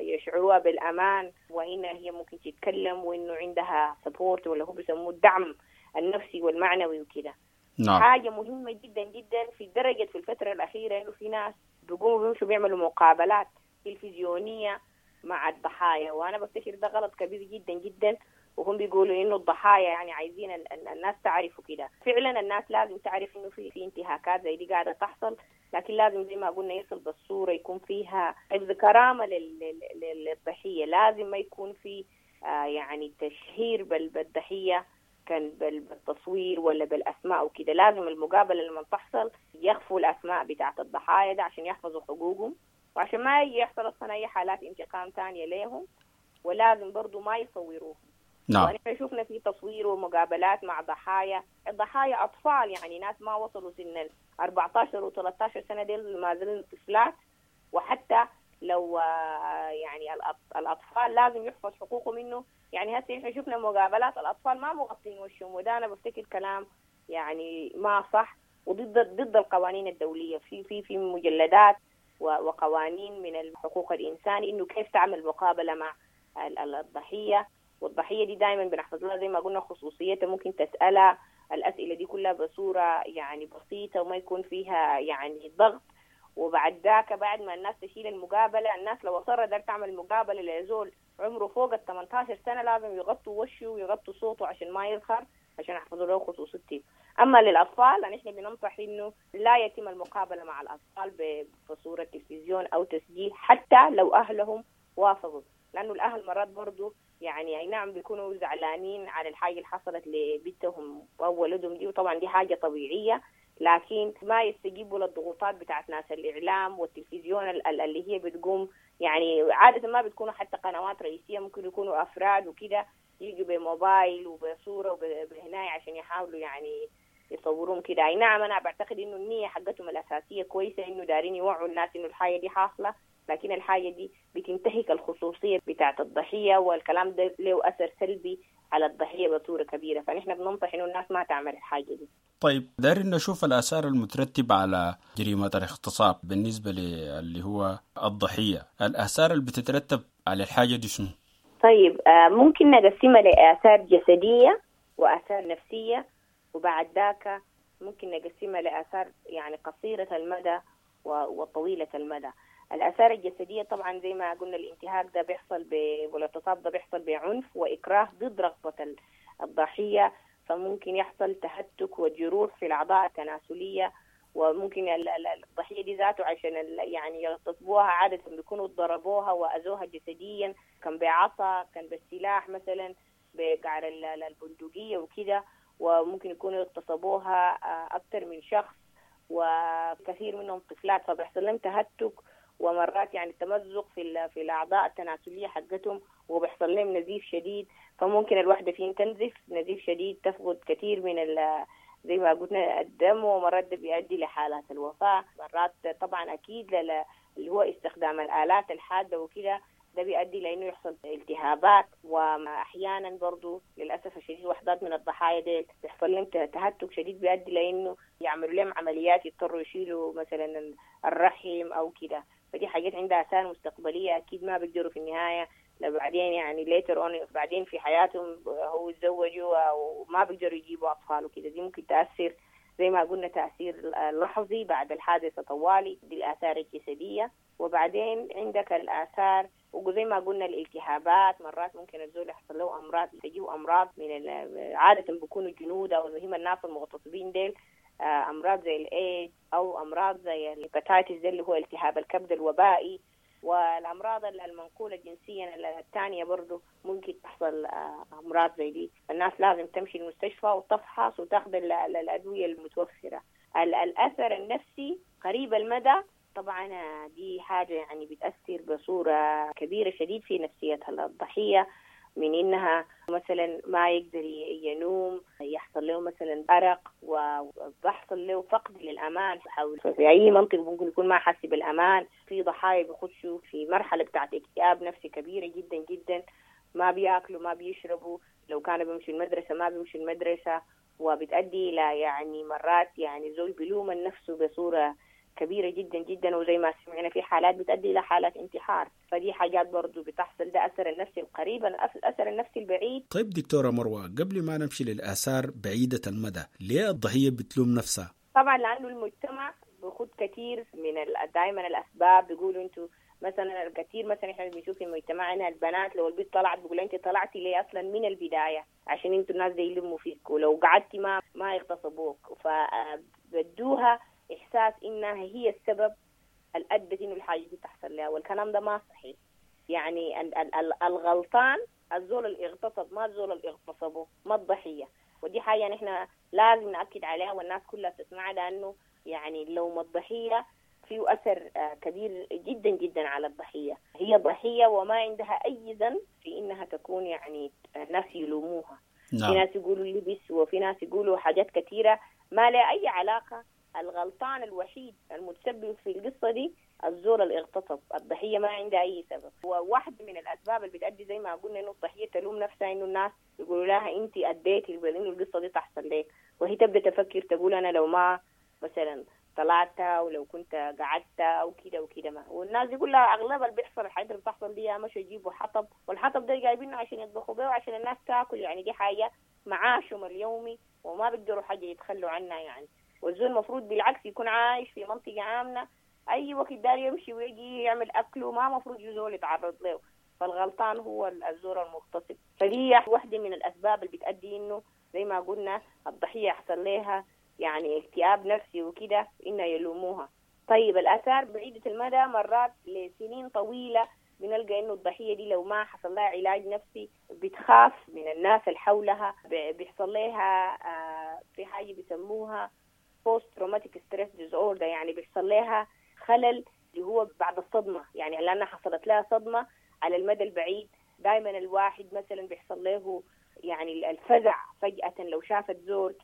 J: يشعروها بالأمان، وإن هي ممكن تتكلم وإنه عندها سبورت ولا هو بيسموه الدعم النفسي والمعنوي وكده.
I: نعم.
J: حاجة مهمة جدا جدا في درجة في الفترة الأخيرة إنه في ناس بيقوموا بيمشوا بيعملوا مقابلات تلفزيونية مع الضحايا، وأنا بفتكر ده غلط كبير جدا جدا، وهم بيقولوا انه الضحايا يعني عايزين الناس تعرفوا كده. فعلا الناس لازم تعرف انه في انتهاكات زي دي قاعدة تحصل، لكن لازم زي ما قلنا يصل بالصورة يكون فيها حفظ كرامة للضحيه، لازم ما يكون في يعني تشهير بالضحيه كان بالتصوير ولا بالاسماء وكده. لازم المقابلة لما تحصل يخفوا الاسماء بتاعت الضحايا ده عشان يحفظوا حقوقهم، وعشان ما يحصل اصلا اي حالات انتقام تانية ليهم، ولازم برضو ما يصوروهم.
I: نعم.
J: ونحن شفنا في تصوير ومقابلات مع ضحايا، الضحايا أطفال يعني ناس ما وصلوا سن 14 و13 سنة، ديل ما زالوا طفلات. وحتى لو يعني الأطفال لازم يحفظ حقوقهم منه. يعني هسه نحن شفنا مقابلات الأطفال ما مغطين وشهم، وده أنا بفتكر كلام يعني ما صح وضد القوانين الدولية. في في في مجلدات وقوانين من الحقوق الإنسان إنه كيف تعمل مقابلة مع الضحية، والضحية دي دائما بنحفظ لها زي ما قلنا خصوصيتها، ممكن تسألها الأسئلة دي كلها بصورة يعني بسيطة وما يكون فيها يعني ضغط. وبعد ذاك بعد ما الناس تشيل المقابلة، الناس لو أصرت دار تعمل مقابلة لزول عمره فوق ال 18 سنة لازم يغطوا وشه ويغطوا صوته عشان ما يظهر، عشان يحفظوا له خصوصيته. أما للأطفال نحن بننصح إنه لا يتم المقابلة مع الأطفال بصورة تلفزيون أو تسجيل حتى لو أهلهم وافقوا، لأنه الأهل مرات برضو يعني أي نعم بيكونوا زعلانين على الحاجة اللي حصلت لبنتهم أو ولدهم دي، وطبعا دي حاجة طبيعية، لكن ما يستجيبوا للضغوطات بتاعت ناس الإعلام والتلفزيون اللي هي بتقوم يعني عادة ما بتكونوا حتى قنوات رئيسية، ممكن يكونوا أفراد وكده يجوا بموبايل وبصورة وبهناية عشان يحاولوا يعني يصورون كده. أي نعم أنا بعتقد إنه النية حقتهم الأساسية كويسة، إنه دارين يوعوا الناس إنه الحاجة دي حاصلة، لكن الحاجة دي بتنتهك الخصوصية بتاعت الضحية، والكلام ده له أثر سلبي على الضحية بصورة كبيرة. فنحن بننصح إنه الناس ما تعمل الحاجة دي.
I: طيب دايرين نشوف الآثار المترتبة على جريمة الاغتصاب بالنسبة اللي هو الضحية، الآثار اللي بتترتب على الحاجة دي شنو؟
J: طيب ممكن نقسمها لآثار جسدية وآثار نفسية، وبعد ذاك ممكن نقسمها لآثار يعني قصيرة المدى وطويلة المدى. الآثار الجسدية طبعا زي ما قلنا الانتهاك ده بيحصل والاغتصاب ده بيحصل بعنف وإكراه ضد رغبة الضحية، فممكن يحصل تهتك وجروح في الأعضاء التناسلية، وممكن الضحية دي ذاته عشان يعني يغتصبوها عادة بيكونوا ضربوها وأذوها جسديا، كان بعصا، كان بالسلاح مثلا، بقعر البندقية وكده، وممكن يكونوا اغتصبوها أكثر من شخص وكثير منهم طفلات، فبيحصل لهم تهتك ومرات يعني تمزق في الأعضاء التناسلية حقتهم، وبيحصل لهم نزيف شديد، فممكن الواحدة فيهم تنزف نزيف شديد، تفقد كثير من زي ما قلنا الدم، ومرات ده بيؤدي لحالات الوفاة. مرات طبعا أكيد اللي هو استخدام الآلات الحادة وكده ده بيؤدي لأنه يحصل التهابات، وأحيانا برضو للأسف الشديد وحدات من الضحايا ديل بيحصل لهم تهتك شديد بيؤدي لأنه يعملوا لهم عمليات، يضطروا يشيلوا مثلا الرحم أو كده. فدي حاجات عندها آثار مستقبلية أكيد ما بيقدروا في النهاية بعدين يعني later on بعدين في حياتهم هو يتزوجوا وما بيقدروا يجيبوا أطفال وكده. دي ممكن تأثر زي ما قلنا تأثير لحظي بعد الحادثة طوالي، دي الآثار الجسدية. وبعدين عندك الآثار وزي ما قلنا الالتهابات، مرات ممكن الزول يحصل له أمراض، تجيه أمراض من عادة بيكونوا جنود أو المهم الناس المغتصبين ديل، أمراض زي الإيدز أو أمراض زي ال hepatitis اللي هو التهاب الكبد الوبائي، والأمراض المنقولة جنسيا الثانية برضو ممكن تحصل أمراض زي دي. الناس لازم تمشي المستشفى وتفحص وتاخذ الأدوية المتوفرة. الأثر النفسي قريب المدى طبعا دي حاجة يعني بتأثر بصورة كبيرة شديد في نفسية الضحية، من إنها مثلا ما يقدر ينوم، يحصل له مثلا أرق، وبحصل له فقد للأمان حول في أي منطقة ممكن يكون ما حاسس بالأمان. في ضحايا بيخشوا في مرحلة بتاعت اكتئاب نفسي كبيرة جدا جدا، ما بياكلوا ما بيشربوا، لو كانوا بيمشوا المدرسة ما بيمشوا المدرسة، وبتؤدي إلى يعني مرات يعني زول بيلوم نفسه بصورة كبيرة جدا جدا، وزي ما سمعنا في حالات بتؤدي إلى حالات انتحار. فدي حاجات برضو بتحصل، ده أثر النفسي القريب. الأثر النفسي البعيد.
I: طيب دكتورة مروة، قبل ما نمشي للآثار بعيدة المدى، ليه الضحية بتلوم نفسها؟
J: طبعا لأنه المجتمع بيخد كثير من دائما الأسباب، بيقولوا أنتوا مثلا الكثير مثلا احنا بنشوف في مجتمعنا البنات لو البنت طلعت بيقول انت طلعتي ليه اصلا من البداية؟ عشان انتوا الناس دي يلموا فيك، ولو قعدتي ما يغتصبوك. فبدوها احساس انها هي السبب اللي ادت انه الحاجة دي تحصل لها، والكلام ده ما صحيح. يعني الغلطان الزول اللي اغتصب، ما الزول اللي اغتصبه، ما الضحية. ودي حاجة نحن لازم ناكد عليها والناس كلها تسمعها، لانه يعني لو ما الضحية فيه أثر كبير جدا جدا على الضحية. هي ضحية وما عندها أي ذنب في إنها تكون يعني الناس يلوموها. نعم. في ناس يقولوا لبس، وفي ناس يقولوا حاجات كثيرة ما لها أي علاقة. الغلطان الوحيد المتسبب في القصة دي الزول اللي اغتصب، الضحية ما عندها أي سبب. وواحدة من الأسباب اللي بتأدي زي ما قلنا إنه الضحية تلوم نفسها، إنه الناس يقولوا لها أنت أديتي إنه القصة دي تحصل لك، وهي تبدأ تفكر تقول أنا لو ما مثلا طلعت ولو كنت قعدت او كده وكده ما. والناس يقول لها اغلب اللي بيحصل الحاجات اللي بتحصل دي مشوا يجيبوا حطب، والحطب ده جايبينه عشان يطبخوا بيه وعشان الناس تاكل، يعني دي حاجة معاشهم اليومي وما بيقدروا حاجة يتخلوا عنها يعني. والزول المفروض بالعكس يكون عايش في منطقة امنه، اي وقت دار يمشي ويجي يعمل اكله، ما مفروض زول يتعرض له. فالغلطان هو الزول المغتصب. فدي واحدة من الاسباب اللي بتؤدي انه زي ما قلنا الضحية يحصل لها يعني اكتئاب نفسي وكده، إنه يلوموها. طيب الآثار بعيدة المدى مرات لسنين طويلة بنلقى إنه الضحية دي لو ما حصل لها علاج نفسي بتخاف من الناس اللي حولها، بيحصل لها في حاجة بيسموها post traumatic stress disorder، يعني بيحصل لها خلل اللي هو بعد الصدمة، يعني لأنها حصلت لها صدمة على المدى البعيد. دائما الواحد مثلا بيحصل له يعني الفزع فجأة، لو شافت زول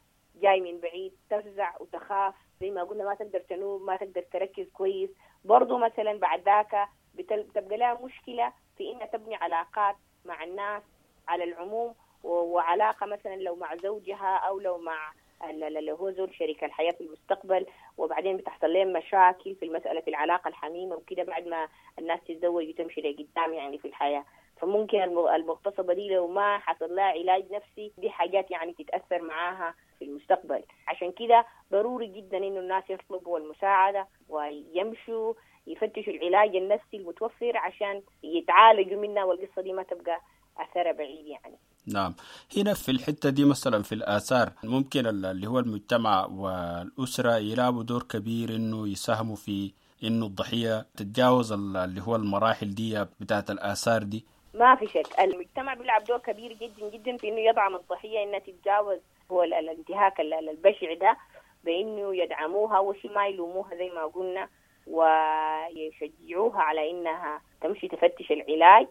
J: جاي من بعيد تفزع وتخاف، زي ما قلنا ما تقدر تنوم، ما تقدر تركز كويس. برضو مثلا بعد ذاك بتبقى لها مشكلة في إنها تبني علاقات مع الناس على العموم، وعلاقة مثلا لو مع زوجها أو لو مع اللي هو زوج شريك الحياة في المستقبل. وبعدين بتحصل لهم مشاكل في المسألة في العلاقة الحميمة وكده بعد ما الناس تتزوج وتمشي لقدام يعني في الحياة. فممكن المغتصبة دي لو ما حصل لها علاج نفسي دي حاجات يعني تتأثر معاها في المستقبل. عشان كده ضروري جدا إنه الناس يطلبوا المساعدة ويمشوا يفتشوا العلاج النفسي المتوفر عشان يتعالجوا منها، والقصة دي ما تبقى أثرها بعيد يعني.
I: نعم، هنا في الحتة دي مثلا في الآثار ممكن اللي هو المجتمع والأسرة يلعبوا دور كبير إنه يساهموا في إنه الضحية تتجاوز اللي هو المراحل دي بتاعت الآثار دي.
J: ما في شك المجتمع بيلعب دور كبير جدا جدا في إنه يدعم الضحية إنها تتجاوز هو الانتهاك البشع ده، بإنه يدعموها وشي ما يلوموها زي ما قلنا، ويشجعوها على إنها تمشي تفتش العلاج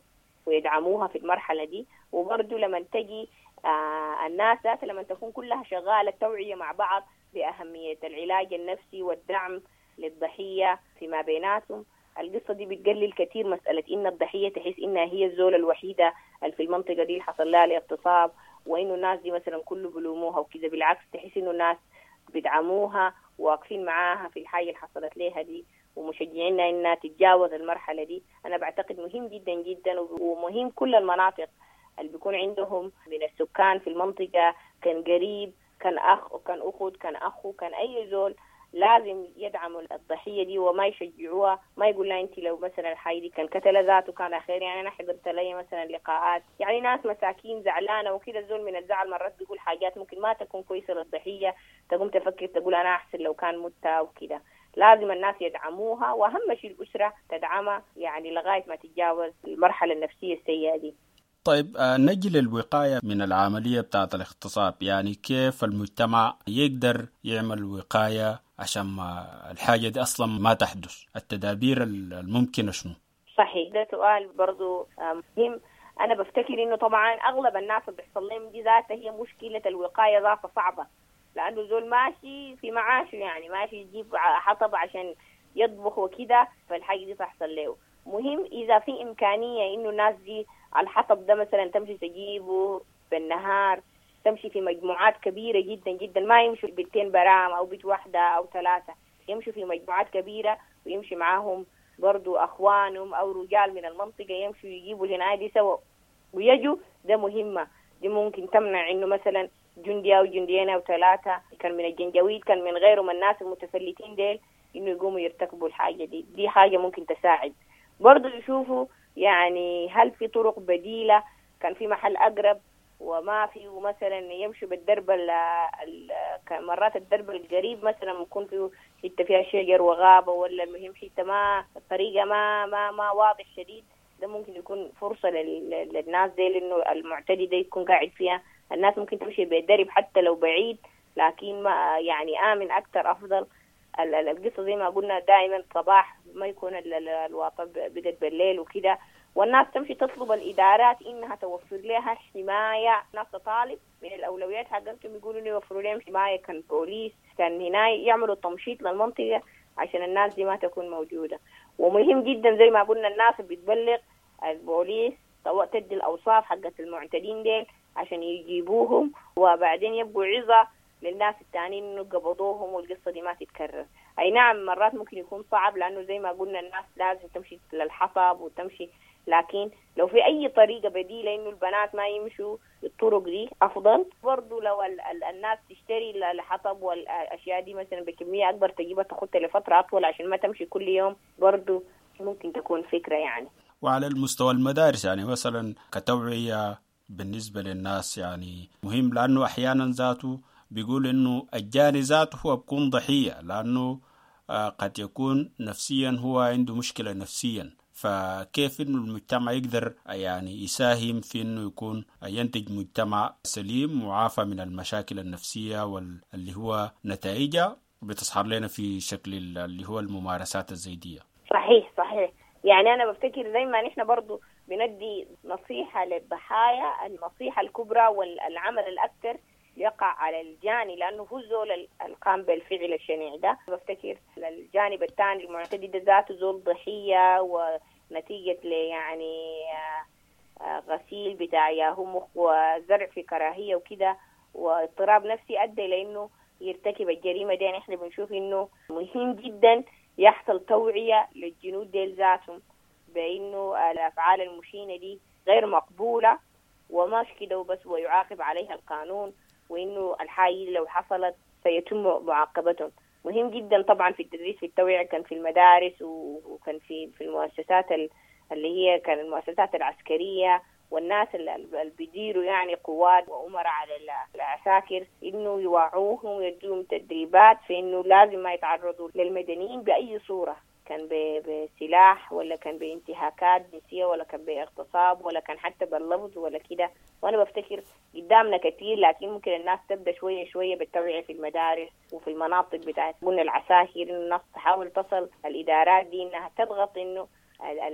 J: ويدعموها في المرحلة دي. وبرضو لما تجي الناس لما تكون كلها شغالة توعية مع بعض بأهمية العلاج النفسي والدعم للضحية فيما بيناتهم، القصة دي بتقلل كثير مسألة إن الضحية تحس إنها هي الزولة الوحيدة اللي في المنطقة دي اللي حصل لها الاغتصاب، وإنه الناس دي مثلا كله بلوموها وكذا. بالعكس تحس إنه الناس بيدعموها واقفين معاها في الحاجة اللي حصلت لها دي ومشجعينها إنها تتجاوز المرحلة دي. أنا بعتقد مهم جدا جدا، ومهم كل المناطق اللي بيكون عندهم من السكان في المنطقة، كان قريب كان أخ كان أخت كان أخو كان أي زول، لازم يدعموا الضحية دي وما يشجعوها، ما يقول لها أنت لو مثلا الحاجة دي كان قتل ذاته كان خير. يعني أنا حضرت لي مثلا لقاءات يعني ناس مساكين زعلانة وكده، الزول من الزعل مرات بيقول حاجات ممكن ما تكون كويسة للضحية، تقوم تفكر تقول أنا أحسن لو كان مت وكده. لازم الناس يدعموها، وأهم شيء الأسرة تدعمها يعني لغاية ما تتجاوز المرحلة النفسية السيئة دي.
I: طيب نجي للوقاية من العملية بتاعت الاغتصاب، يعني كيف المجتمع يقدر يعمل وقاية عشان ما الحاجة دي أصلا ما تحدث؟ التدابير الممكنة شنو؟
J: صحيح، ده سؤال برضو مهم. أنا بفتكر إنه طبعا أغلب الناس اللي بيحصل لهم دي ذاتها هي مشكلة الوقاية ذاتها صعبة، لأنه زول ماشي في معاشه يعني ماشي يجيب حطب عشان يطبخ وكده، فالحاجة دي تحصل له. مهم إذا في إمكانية إنه الناس دي على الحطب ده مثلا تمشي تجيبه بالنهار، تمشي في مجموعات كبيرة جدا جدا، ما يمشوا بيتين برام أو بيت واحدة أو ثلاثة، يمشوا في مجموعات كبيرة ويمشي معاهم برضو أخوانهم أو رجال من المنطقة، يمشوا يجيبوا الهناية دي سوا ويجوا. ده مهمة دي ممكن تمنع إنه مثلا جندي أو جنديين أو ثلاثة كان من الجنجويد كان من غيرهم الناس المتفلتين ديل إنه يقوموا يرتكبوا الحاجة دي. دي حاجة ممكن تساعد. برضو يشوفوا يعني هل في طرق بديلة، كان في محل أقرب وما في، ومثلا يمشوا بالدرب مرات الدرب القريب مثلا ممكن فيه حتة فيها شجر وغابة، ولا المهم حتة ما الطريقة ما ما ما واضح شديد، ده ممكن يكون فرصة للناس دي، لأنه المعتدي ده يكون قاعد فيها. الناس ممكن تمشي بالدرب حتى لو بعيد، لكن ما يعني آمن أكثر أفضل. القصة زي ما قلنا دائما صباح ما يكون الواطة بدت بالليل وكده، والناس تمشي تطلب الإدارات إنها توفر لها حماية. ناس تطالب من الأولويات حقتهم، يقولوا إنه يوفروا لهم حماية، كان بوليس كان هنا يعملوا تمشيط للمنطقة عشان الناس دي ما تكون موجودة. ومهم جدا زي ما قلنا الناس بتبلغ البوليس تدي الأوصاف حقت المعتدين ديل عشان يجيبوهم، وبعدين يبقوا عظة للناس التانيين إنه قبضوهم والقصة دي ما تتكرر. أي نعم مرات ممكن يكون صعب، لأنه زي ما قلنا الناس لازم تمشي للحطب وتمشي، لكن لو في أي طريقة بديلة إنه البنات ما يمشوا الطرق دي أفضل. برضو لو الناس تشتري الحطب والأشياء دي مثلا بكمية أكبر تجيبها تاخدها لفترة أطول عشان ما تمشي كل يوم، برضو ممكن تكون فكرة يعني.
I: وعلى المستوى المدارس يعني مثلا كتوعية بالنسبة للناس يعني مهم، لأنه أحيانا ذاته بيقول إنه الجاني ذاته هو بيكون ضحية، لأنه قد يكون نفسيا هو عنده مشكلة نفسيا، فكيف إنه المجتمع يقدر يعني يساهم في إنه يكون ينتج مجتمع سليم معافى من المشاكل النفسية واللي هو نتائجها بتظهر لنا في شكل اللي هو الممارسات الزيدية.
J: صحيح صحيح، يعني أنا بفتكر زي ما نحن برضو بندي نصيحة للضحايا، النصيحة الكبرى والعمل الأكثر يقع على الجاني، لأنه هو زول القام بالفعل الشنيع ده. بفتكر الجانب الثاني المعتدي ده ذاته زول ضحية، ونتيجة يعني غسيل بتاع ياهو مخ وزرع في كراهية وكده واضطراب نفسي أدى لأنه يرتكب الجريمة دي. يعني احنا بنشوف إنه مهم جدا يحصل توعية للجنود ديل ذاتهم بأنه الأفعال المشينة دي غير مقبولة وماش كده وبس، ويعاقب عليها القانون، وإنه الحاجة لو حصلت سيتم معاقبتهم. مهم جدا طبعا في التدريس في التوعية، كان في المدارس وكان في المؤسسات اللي هي كان المؤسسات العسكرية والناس اللي بيديروا يعني قوات وأمراء على العساكر، إنه يوعوهم ويدوهم تدريبات في إنه لازم ما يتعرضوا للمدنيين بأي صورة، كان بسلاح ولا كان بانتهاكات جنسية ولا كان باغتصاب ولا كان حتى باللفظ ولا كده. وأنا بفتكر قدامنا كتير، لكن ممكن الناس تبدأ شوية شوية بالتوعية في المدارس وفي المناطق بتاعت قلنا العساكر، إنه الناس تحاول تصل الإدارات دي إنها تضغط إنه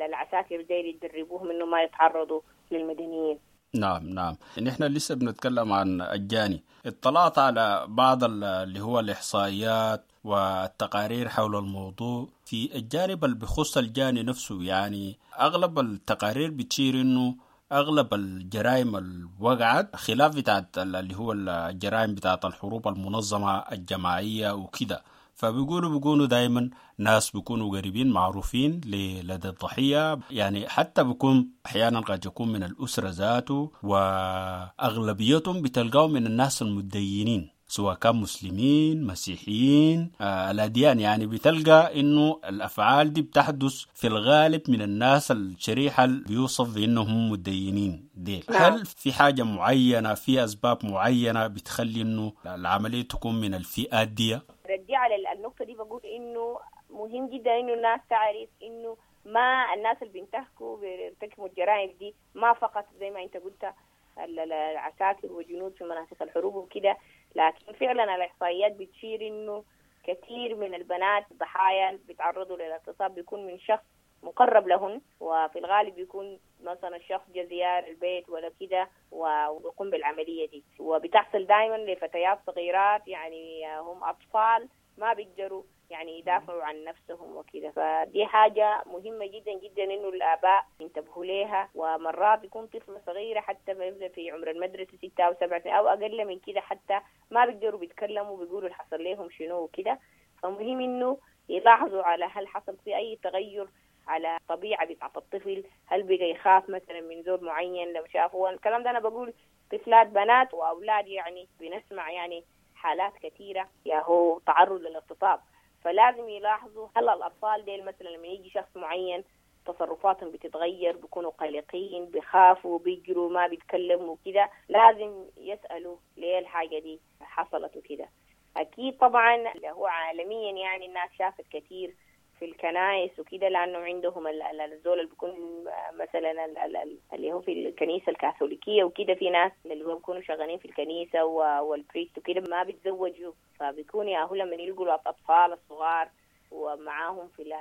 J: العساكر دي يدربوهم إنه ما يتعرضوا للمدنيين.
I: نعم نعم، نحن لسه بنتكلم عن الجاني. اطلعت على بعض اللي هو الإحصائيات والتقارير حول الموضوع في الجانب اللي بخص الجاني نفسه. يعني أغلب التقارير بتشير إنه أغلب الجرائم اللي وقعت خلاف بتاعت اللي هو الجرائم بتاعت الحروب المنظمة الجماعية وكده، فبيقولوا بيكونوا دايما ناس بيكونوا قريبين معروفين لدى الضحية، يعني حتى بيكون أحيانا قد يكون من الأسرة ذاته، وأغلبيتهم بتلقاهم من الناس المتدينين سواء كان مسلمين مسيحيين الأديان. يعني بتلقى إنه الأفعال دي بتحدث في الغالب من الناس الشريحة اللي بيوصف بأنهم متدينين ديل. هل في حاجة معينة، في أسباب معينة بتخلي إنه العملية تكون من الفئات دي؟
J: ردي على النقطة دي بقول إنه مهم جدا إنه الناس تعرف إنه ما الناس اللي بينتهكوا بيرتكبوا الجرائم دي ما فقط زي ما أنت قلت العساكر وجنود في مناطق الحروب وكده، لكن فعلا الإحصائيات بتشير إنه كثير من البنات الضحايا بيتعرضوا للاغتصاب بيكون من شخص مقرب لهن، وفي الغالب بيكون مثلا الشخص جا زيارة البيت ولا كده ويقوم بالعملية دي. وبتحصل دائما لفتيات صغيرات، يعني هم أطفال ما بيقدروا يعني يدافعوا عن نفسهم وكده. فدي حاجة مهمة جدا جدا إنه الآباء ينتبهوا لها. ومرات يكون طفلة صغيرة حتى في عمر المدرسة 6 أو 7 سنين أو أقل من كده، حتى ما بيقدروا بيتكلموا بيقولوا اللي حصل لهم شنو وكده. فمهم إنه يلاحظوا على هل حصل في أي تغير على طبيعة بتاعت الطفل، هل بقى يخاف مثلا من زول معين لو شافه. الكلام ده أنا بقول طفلات بنات وأولاد، يعني بنسمع يعني حالات كثيرة يا هو تعرض للاغتصاب. فلازم يلاحظوا هل الأطفال ديل مثلا لما يجي شخص معين تصرفاتهم بتتغير، بيكونوا قلقين، بيخافوا، بيجروا، ما بيتكلموا كده. لازم يسألوا ليه الحاجة دي حصلت وكده. أكيد طبعا اللي هو عالميا يعني الناس شافت كثير في الكنائس وكده، لأنه عندهم الزول اللي بيكون مثلا اللي هو في الكنيسة الكاثوليكية وكده، في ناس اللي هو بيكونوا شغالين في الكنيسة وال priest وكده ما بيتزوجوا، فبيكون يا هو لما يلقوا الأطفال الصغار ومعاهم في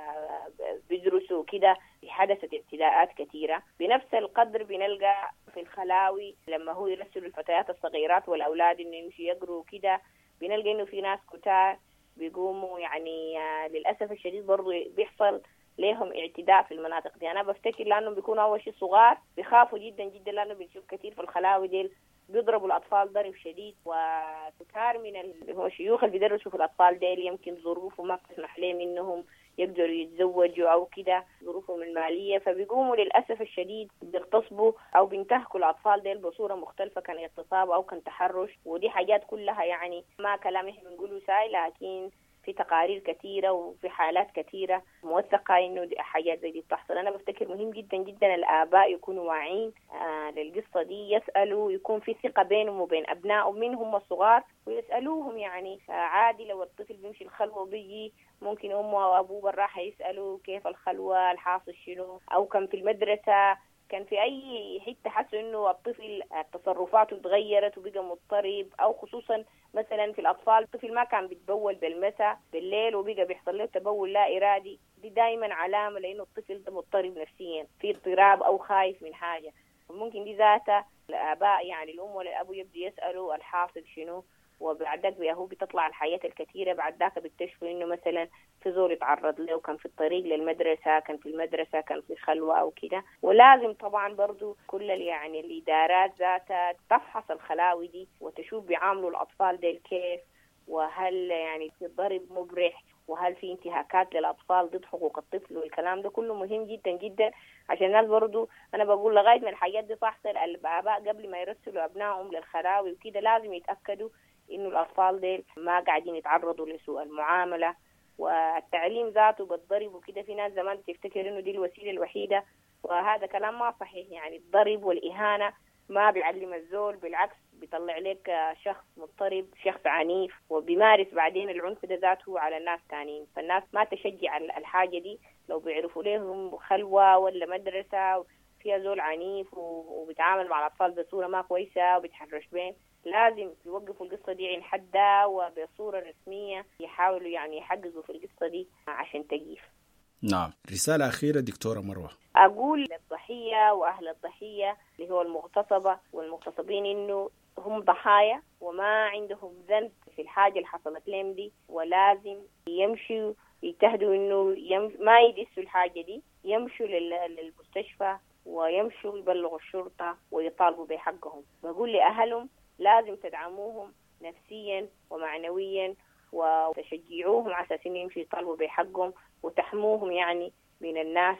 J: بيدرسوا كده حدثت اعتداءات كثيرة. بنفس القدر بنلقى في الخلاوي لما هو يرسلوا الفتيات الصغيرات والأولاد إنه يمشوا يقروا كده، بنلقى إنه في ناس كتار بيقوموا يعني للأسف الشديد برضو بيحصل لهم اعتداء في المناطق دي. أنا بفتكر لأنهم بيكونوا أول شيء صغار بيخافوا جدا جدا، لأنه بنشوف كثير في الخلاوي ديل بيضربوا الأطفال ضرب شديد، وكثار من اللي هو شيوخ اللي بيدرسوا في الأطفال ديل يمكن ظروفه ما بتسمح لهم إنهم يقدروا يتزوجوا أو كده، ظروفهم المالية، فبيقوموا للأسف الشديد بيغتصبوا أو بينتهكوا الأطفال ديل بصورة مختلفة، كان اغتصاب أو كان تحرش. ودي حاجات كلها يعني ما كلام إحنا بنقوله ساي، لكن في تقارير كثيرة وفي حالات كثيرة موثقة إنه حاجات زي دي بتحصل. أنا بفتكر مهم جدا جدا الآباء يكونوا واعيين للقصة دي، يسألوا، يكون في ثقة بينهم وبين أبنائهم من هم الصغار، ويسألوهم يعني عادي لو الطفل بيمشي الخلوة وبيجي ممكن أمه أو أبوه بالراحة يسألوا كيف الخلوة، الحاصل شنو، أو كان في المدرسة، كان في أي حتة حسوا إنه الطفل تصرفاته تغيرت وبقى مضطرب، أو خصوصا مثلا في الأطفال الطفل ما كان بيتبول بالمساء بالليل وبقى بيحصل له تبول لا إرادي، دي دايما علامة لأنه الطفل ده مضطرب نفسيا، في اضطراب أو خايف من حاجة. ممكن دي ذاتها الآباء يعني الأم ولا الأبو يبدو يسألوا الحاصل شنو، وبعد ذاك هو بتطلع الحياة الكثيرة. بعد ذاك بيكتشفوا إنه مثلا في زول يتعرض له، كان في الطريق للمدرسة، كان في المدرسة، كان في خلوة أو كده. ولازم طبعا برضو كل يعني الإدارات ذاتها تفحص الخلاوي دي وتشوف بيعاملوا الأطفال ديل كيف، وهل يعني في ضرب مبرح، وهل في انتهاكات للأطفال ضد حقوق الطفل، والكلام ده كله مهم جدا جدا عشان الناس برضو. أنا بقول لغاية ما الحاجات دي تحصل الآباء قبل ما يرسلوا أبنائهم للخلاوي وكده لازم يتأكدوا إنه الأطفال ديل ما قاعدين يتعرضوا لسوء المعاملة. والتعليم ذاته بالضرب وكده، في ناس زمان بتفتكر إنه دي الوسيلة الوحيدة، وهذا كلام ما صحيح. يعني الضرب والإهانة ما بيعلم الزول، بالعكس بيطلع لك شخص مضطرب، شخص عنيف، وبيمارس بعدين العنف ده ذاته على الناس تانيين. فالناس ما تشجع الحاجة دي، لو بيعرفوا لهم خلوة ولا مدرسة فيها زول عنيف وبيتعامل مع الأطفال بصورة ما كويسة وبيتحرش بين، لازم يوقفوا القصة دي عن حدها وبصورة رسمية يحاولوا يعني يحققوا في القصة دي عشان تجيف.
I: نعم، رسالة أخيرة دكتورة مروة.
J: أقول للضحية وأهل الضحية اللي هو المغتصبة والمغتصبين إنه هم ضحايا وما عندهم ذنب في الحاجة اللي حصلت لهم دي، ولازم يمشوا يجتهدوا إنه ما يدسوا الحاجة دي، يمشوا للمستشفى ويمشوا يبلغوا الشرطة ويطالبوا بحقهم. بقول لأهلهم لازم تدعموهم نفسيا ومعنويا وتشجعوهم على أساس إنه يمشوا يطالبوا بحقهم، وتحموهم يعني من الناس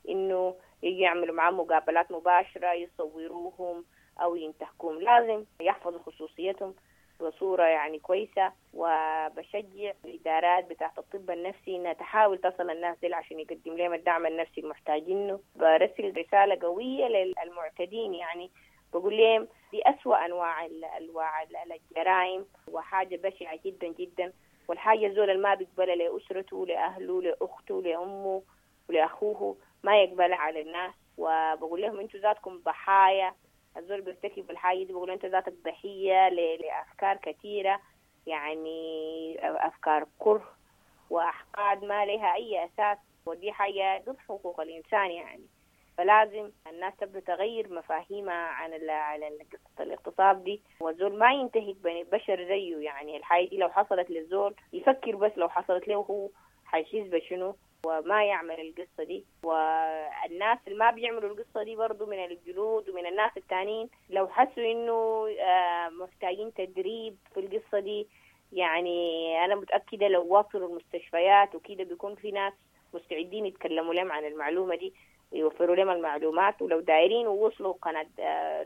J: إنه يجي يعملوا معهم مقابلات مباشرة، يصوروهم أو ينتهكوهم. لازم يحفظوا خصوصيتهم بصورة يعني كويسة. وبشجع الإدارات بتاعت الطب النفسي إنها تحاول تصل الناس دي عشان يقدم لهم الدعم النفسي المحتاجينه. برسل رسالة قوية للمعتدين، يعني بقول لهم دي أسوأ أنواع الجرائم وحاجة بشعة جدا جدا، والحاجة زول ما بيقبلها لأسرته لأهله لأخته لأمه ولأخوه ما يقبلها على الناس. وبقول لهم أنتوا ذاتكم ضحايا، الزول بيرتكب الحاجة دي بقول أنت ذاتك ضحية لأفكار كثيرة، يعني أفكار كره وأحقاد ما لها أي أساس، ودي حاجة ضد حقوق الإنسان يعني. فلازم الناس تبدأ تغير مفاهيمها عن قصة الاغتصاب دي، والزول ما ينتهك بشر زيه. يعني الحاجة دي لو حصلت للزول يفكر بس لو حصلت له هو حيحس بشنو وما يعمل القصة دي. والناس اللي ما بيعملوا القصة دي برضو من الجلود ومن الناس التانيين لو حسوا إنه محتاجين تدريب في القصة دي، يعني أنا متأكدة لو وصلوا المستشفيات وكده بيكون في ناس مستعدين يتكلموا لهم عن المعلومة دي، يوفروا لهم المعلومات. ولو دايرين ووصلوا قناة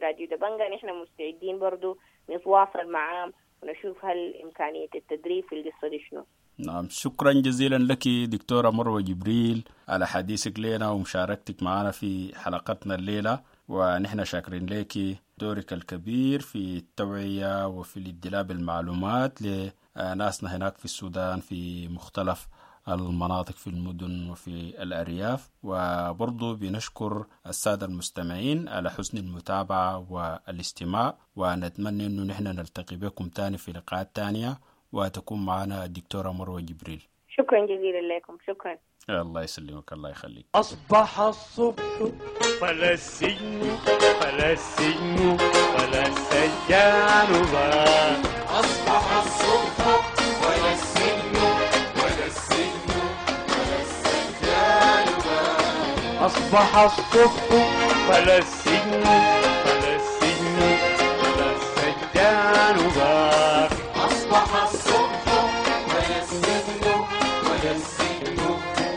J: راديو دبنجا نحن مستعدين برضو نتواصل معاهم ونشوف هل إمكانية التدريب في القصة دي شنو.
I: نعم، شكرا جزيلا لك دكتورة مروة جبريل على حديثك لنا ومشاركتك معنا في حلقتنا الليلة، ونحن شاكرين لك دورك الكبير في التوعية وفي الادلاء بالمعلومات لناسنا هناك في السودان في مختلف المناطق في المدن وفي الأرياف. وبرضو بنشكر السادة المستمعين على حسن المتابعة والاستماع، ونتمنى أنه نحن نلتقي بكم تاني في لقاءات تانية وتكون معنا الدكتورة مروة جبريل.
J: شكرا جزيلا لكم. شكرا.
I: الله يسلمك، الله يخليك.
K: أصبح الصبح فلا السجن فلا السجن ولا السجان بار.
A: أصبح الصبح ولا السجن ولا السجن ولا السجان بار.
K: أصبح الصبح فلا السجن فلا السجن ولا السجان بار.
A: أصبح الصبح ولا السجن ولا السجن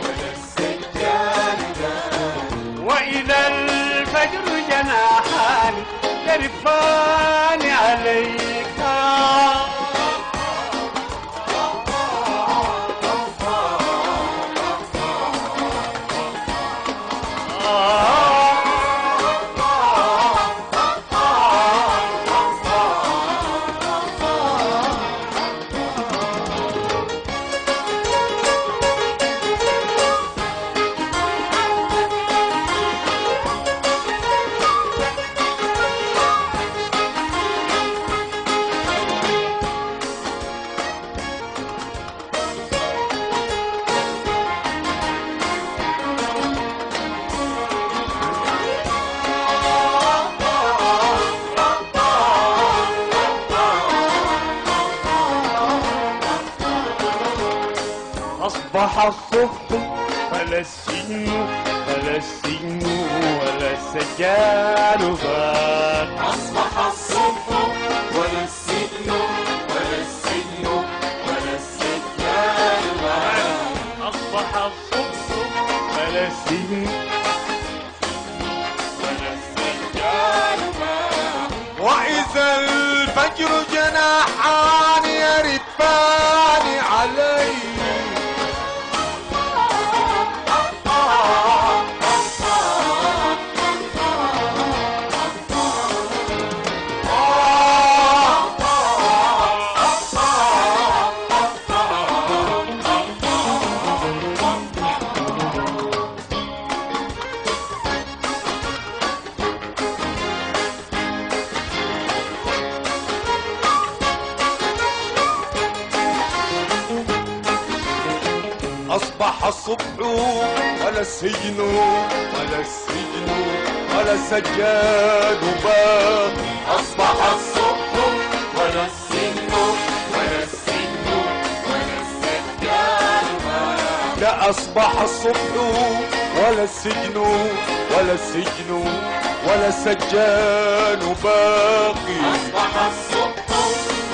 A: ولا السجان بار.
K: وإذا الفجر جناحان يرفان عليك. أصبح الصبح فلا السجن فلا السجن ولا السجان بار.
A: أصبح الصبح ولا السجن ولا السجن ولا السجان بار.
K: أصبح الصبح فلا السجن ولا السجان بار.
A: وإذا الفجر جناحان يرفان علي. أصبح الصبح ولا السجن ولا السجن ولا السجان بار. أصبح الصبح ولا السجن ولا السجن ولا السجان بار. لا أصبح الصبح ولا السجن ولا السجن ولا السجان باقي. أصبح الصبح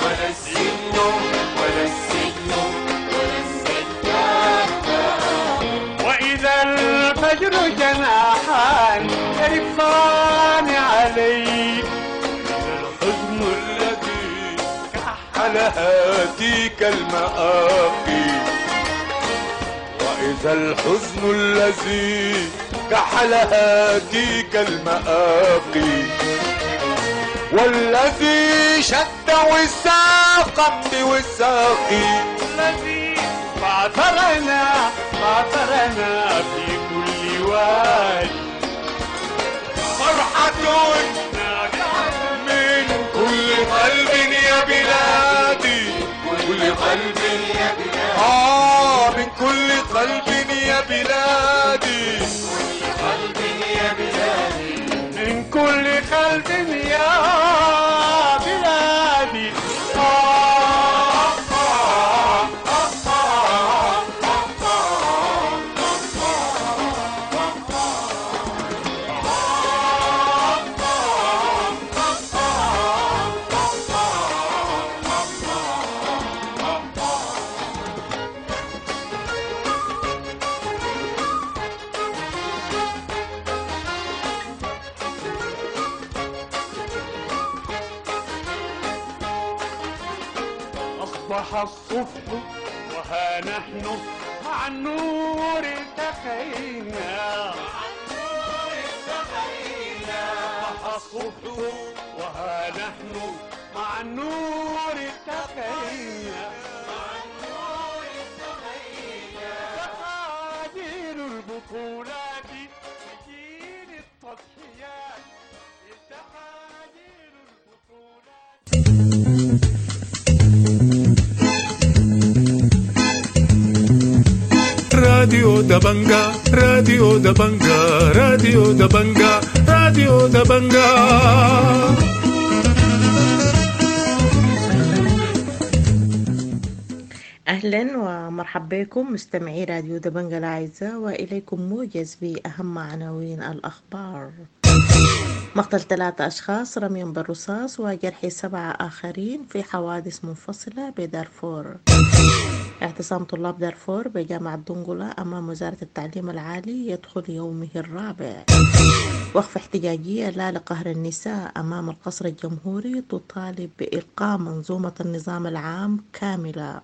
A: ولا السجن ولا السجن ولا السجان باقي.
K: وإذا الفجر جناحان يرفان عليك.
A: الحزن الذي كحل هاتيك المآقي. وإذا الحزن الذي كحل هاتيك المآقي. والذي شد وثاقا بوثاقي.
K: الذي بعثرنا بعثرنا في كل وادي.
A: فرحة من كل قلب يا بلادي. كل قلب يا بلادي. من كل قلب يا بلادي. كل قلب يا بلادي.
K: من كل قلب يا بلادي. أصبح الصبح وها نحن مع النور التقينا، مع النور التقينا. صبح الصبح وها نحن مع النور التقينا، مع النور التقينا. تقادير البطولات جيل التضحيات، تقادير البطولات.
L: راديو دبنجا، راديو دبنجا، راديو دبنجا، راديو دبنجا.
M: أهلا ومرحبا بكم مستمعي راديو دبنجا الأعزاء، وإليكم موجز بأهم عناوين الأخبار. مقتل 3 أشخاص رميا بالرصاص وجرح 7 آخرين في حوادث منفصلة بدارفور. اعتصام طلاب دارفور بجامعة دنقلة أمام وزارة التعليم العالي يدخل يومه الرابع. وقفة احتجاجية لا لقهر النساء أمام القصر الجمهوري تطالب بإلقاء منظومة النظام العام كاملة.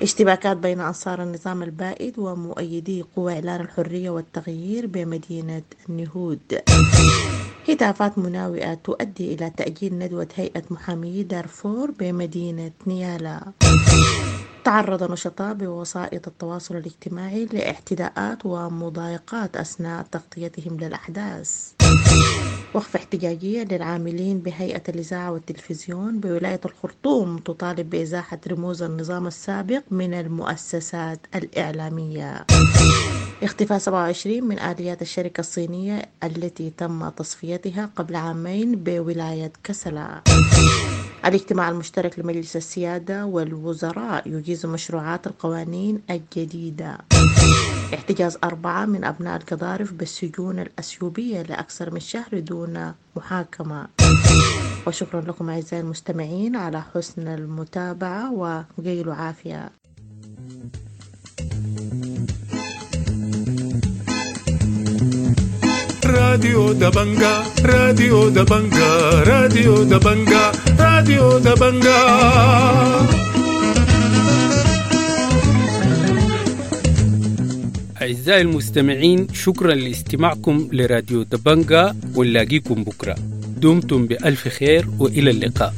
M: اشتباكات بين أنصار النظام البائد ومؤيدي قوى إعلان الحرية والتغيير بمدينة النهود. هتافات مناوئة تؤدي إلى تأجيل ندوة هيئة محامي دارفور بمدينة نيالا. تعرض نشطاء بوسائط التواصل الاجتماعي لاعتداءات ومضايقات أثناء تغطيتهم للأحداث. وقفة احتجاجية للعاملين بهيئة الإذاعة والتلفزيون بولاية الخرطوم تطالب بإزاحة رموز النظام السابق من المؤسسات الإعلامية. اختفاء 27 من آليات الشركة الصينية التي تم تصفيتها قبل عامين بولاية كسلا. الاجتماع المشترك لمجلس السيادة والوزراء يجيز مشروعات القوانين الجديدة. احتجاز 4 من أبناء القضارف بالسجون الأثيوبية لأكثر من شهر دون محاكمة. وشكرا لكم أعزائي المستمعين على حسن المتابعة وقيلوا عافية.
L: راديو دبنجا، راديو دبنجا، راديو دبنجا، راديو دبنجا.
G: أعزائي المستمعين، شكرا لاستماعكم لراديو دبنجا، ونلاقيكم بكرة. دمتم بألف خير وإلى اللقاء.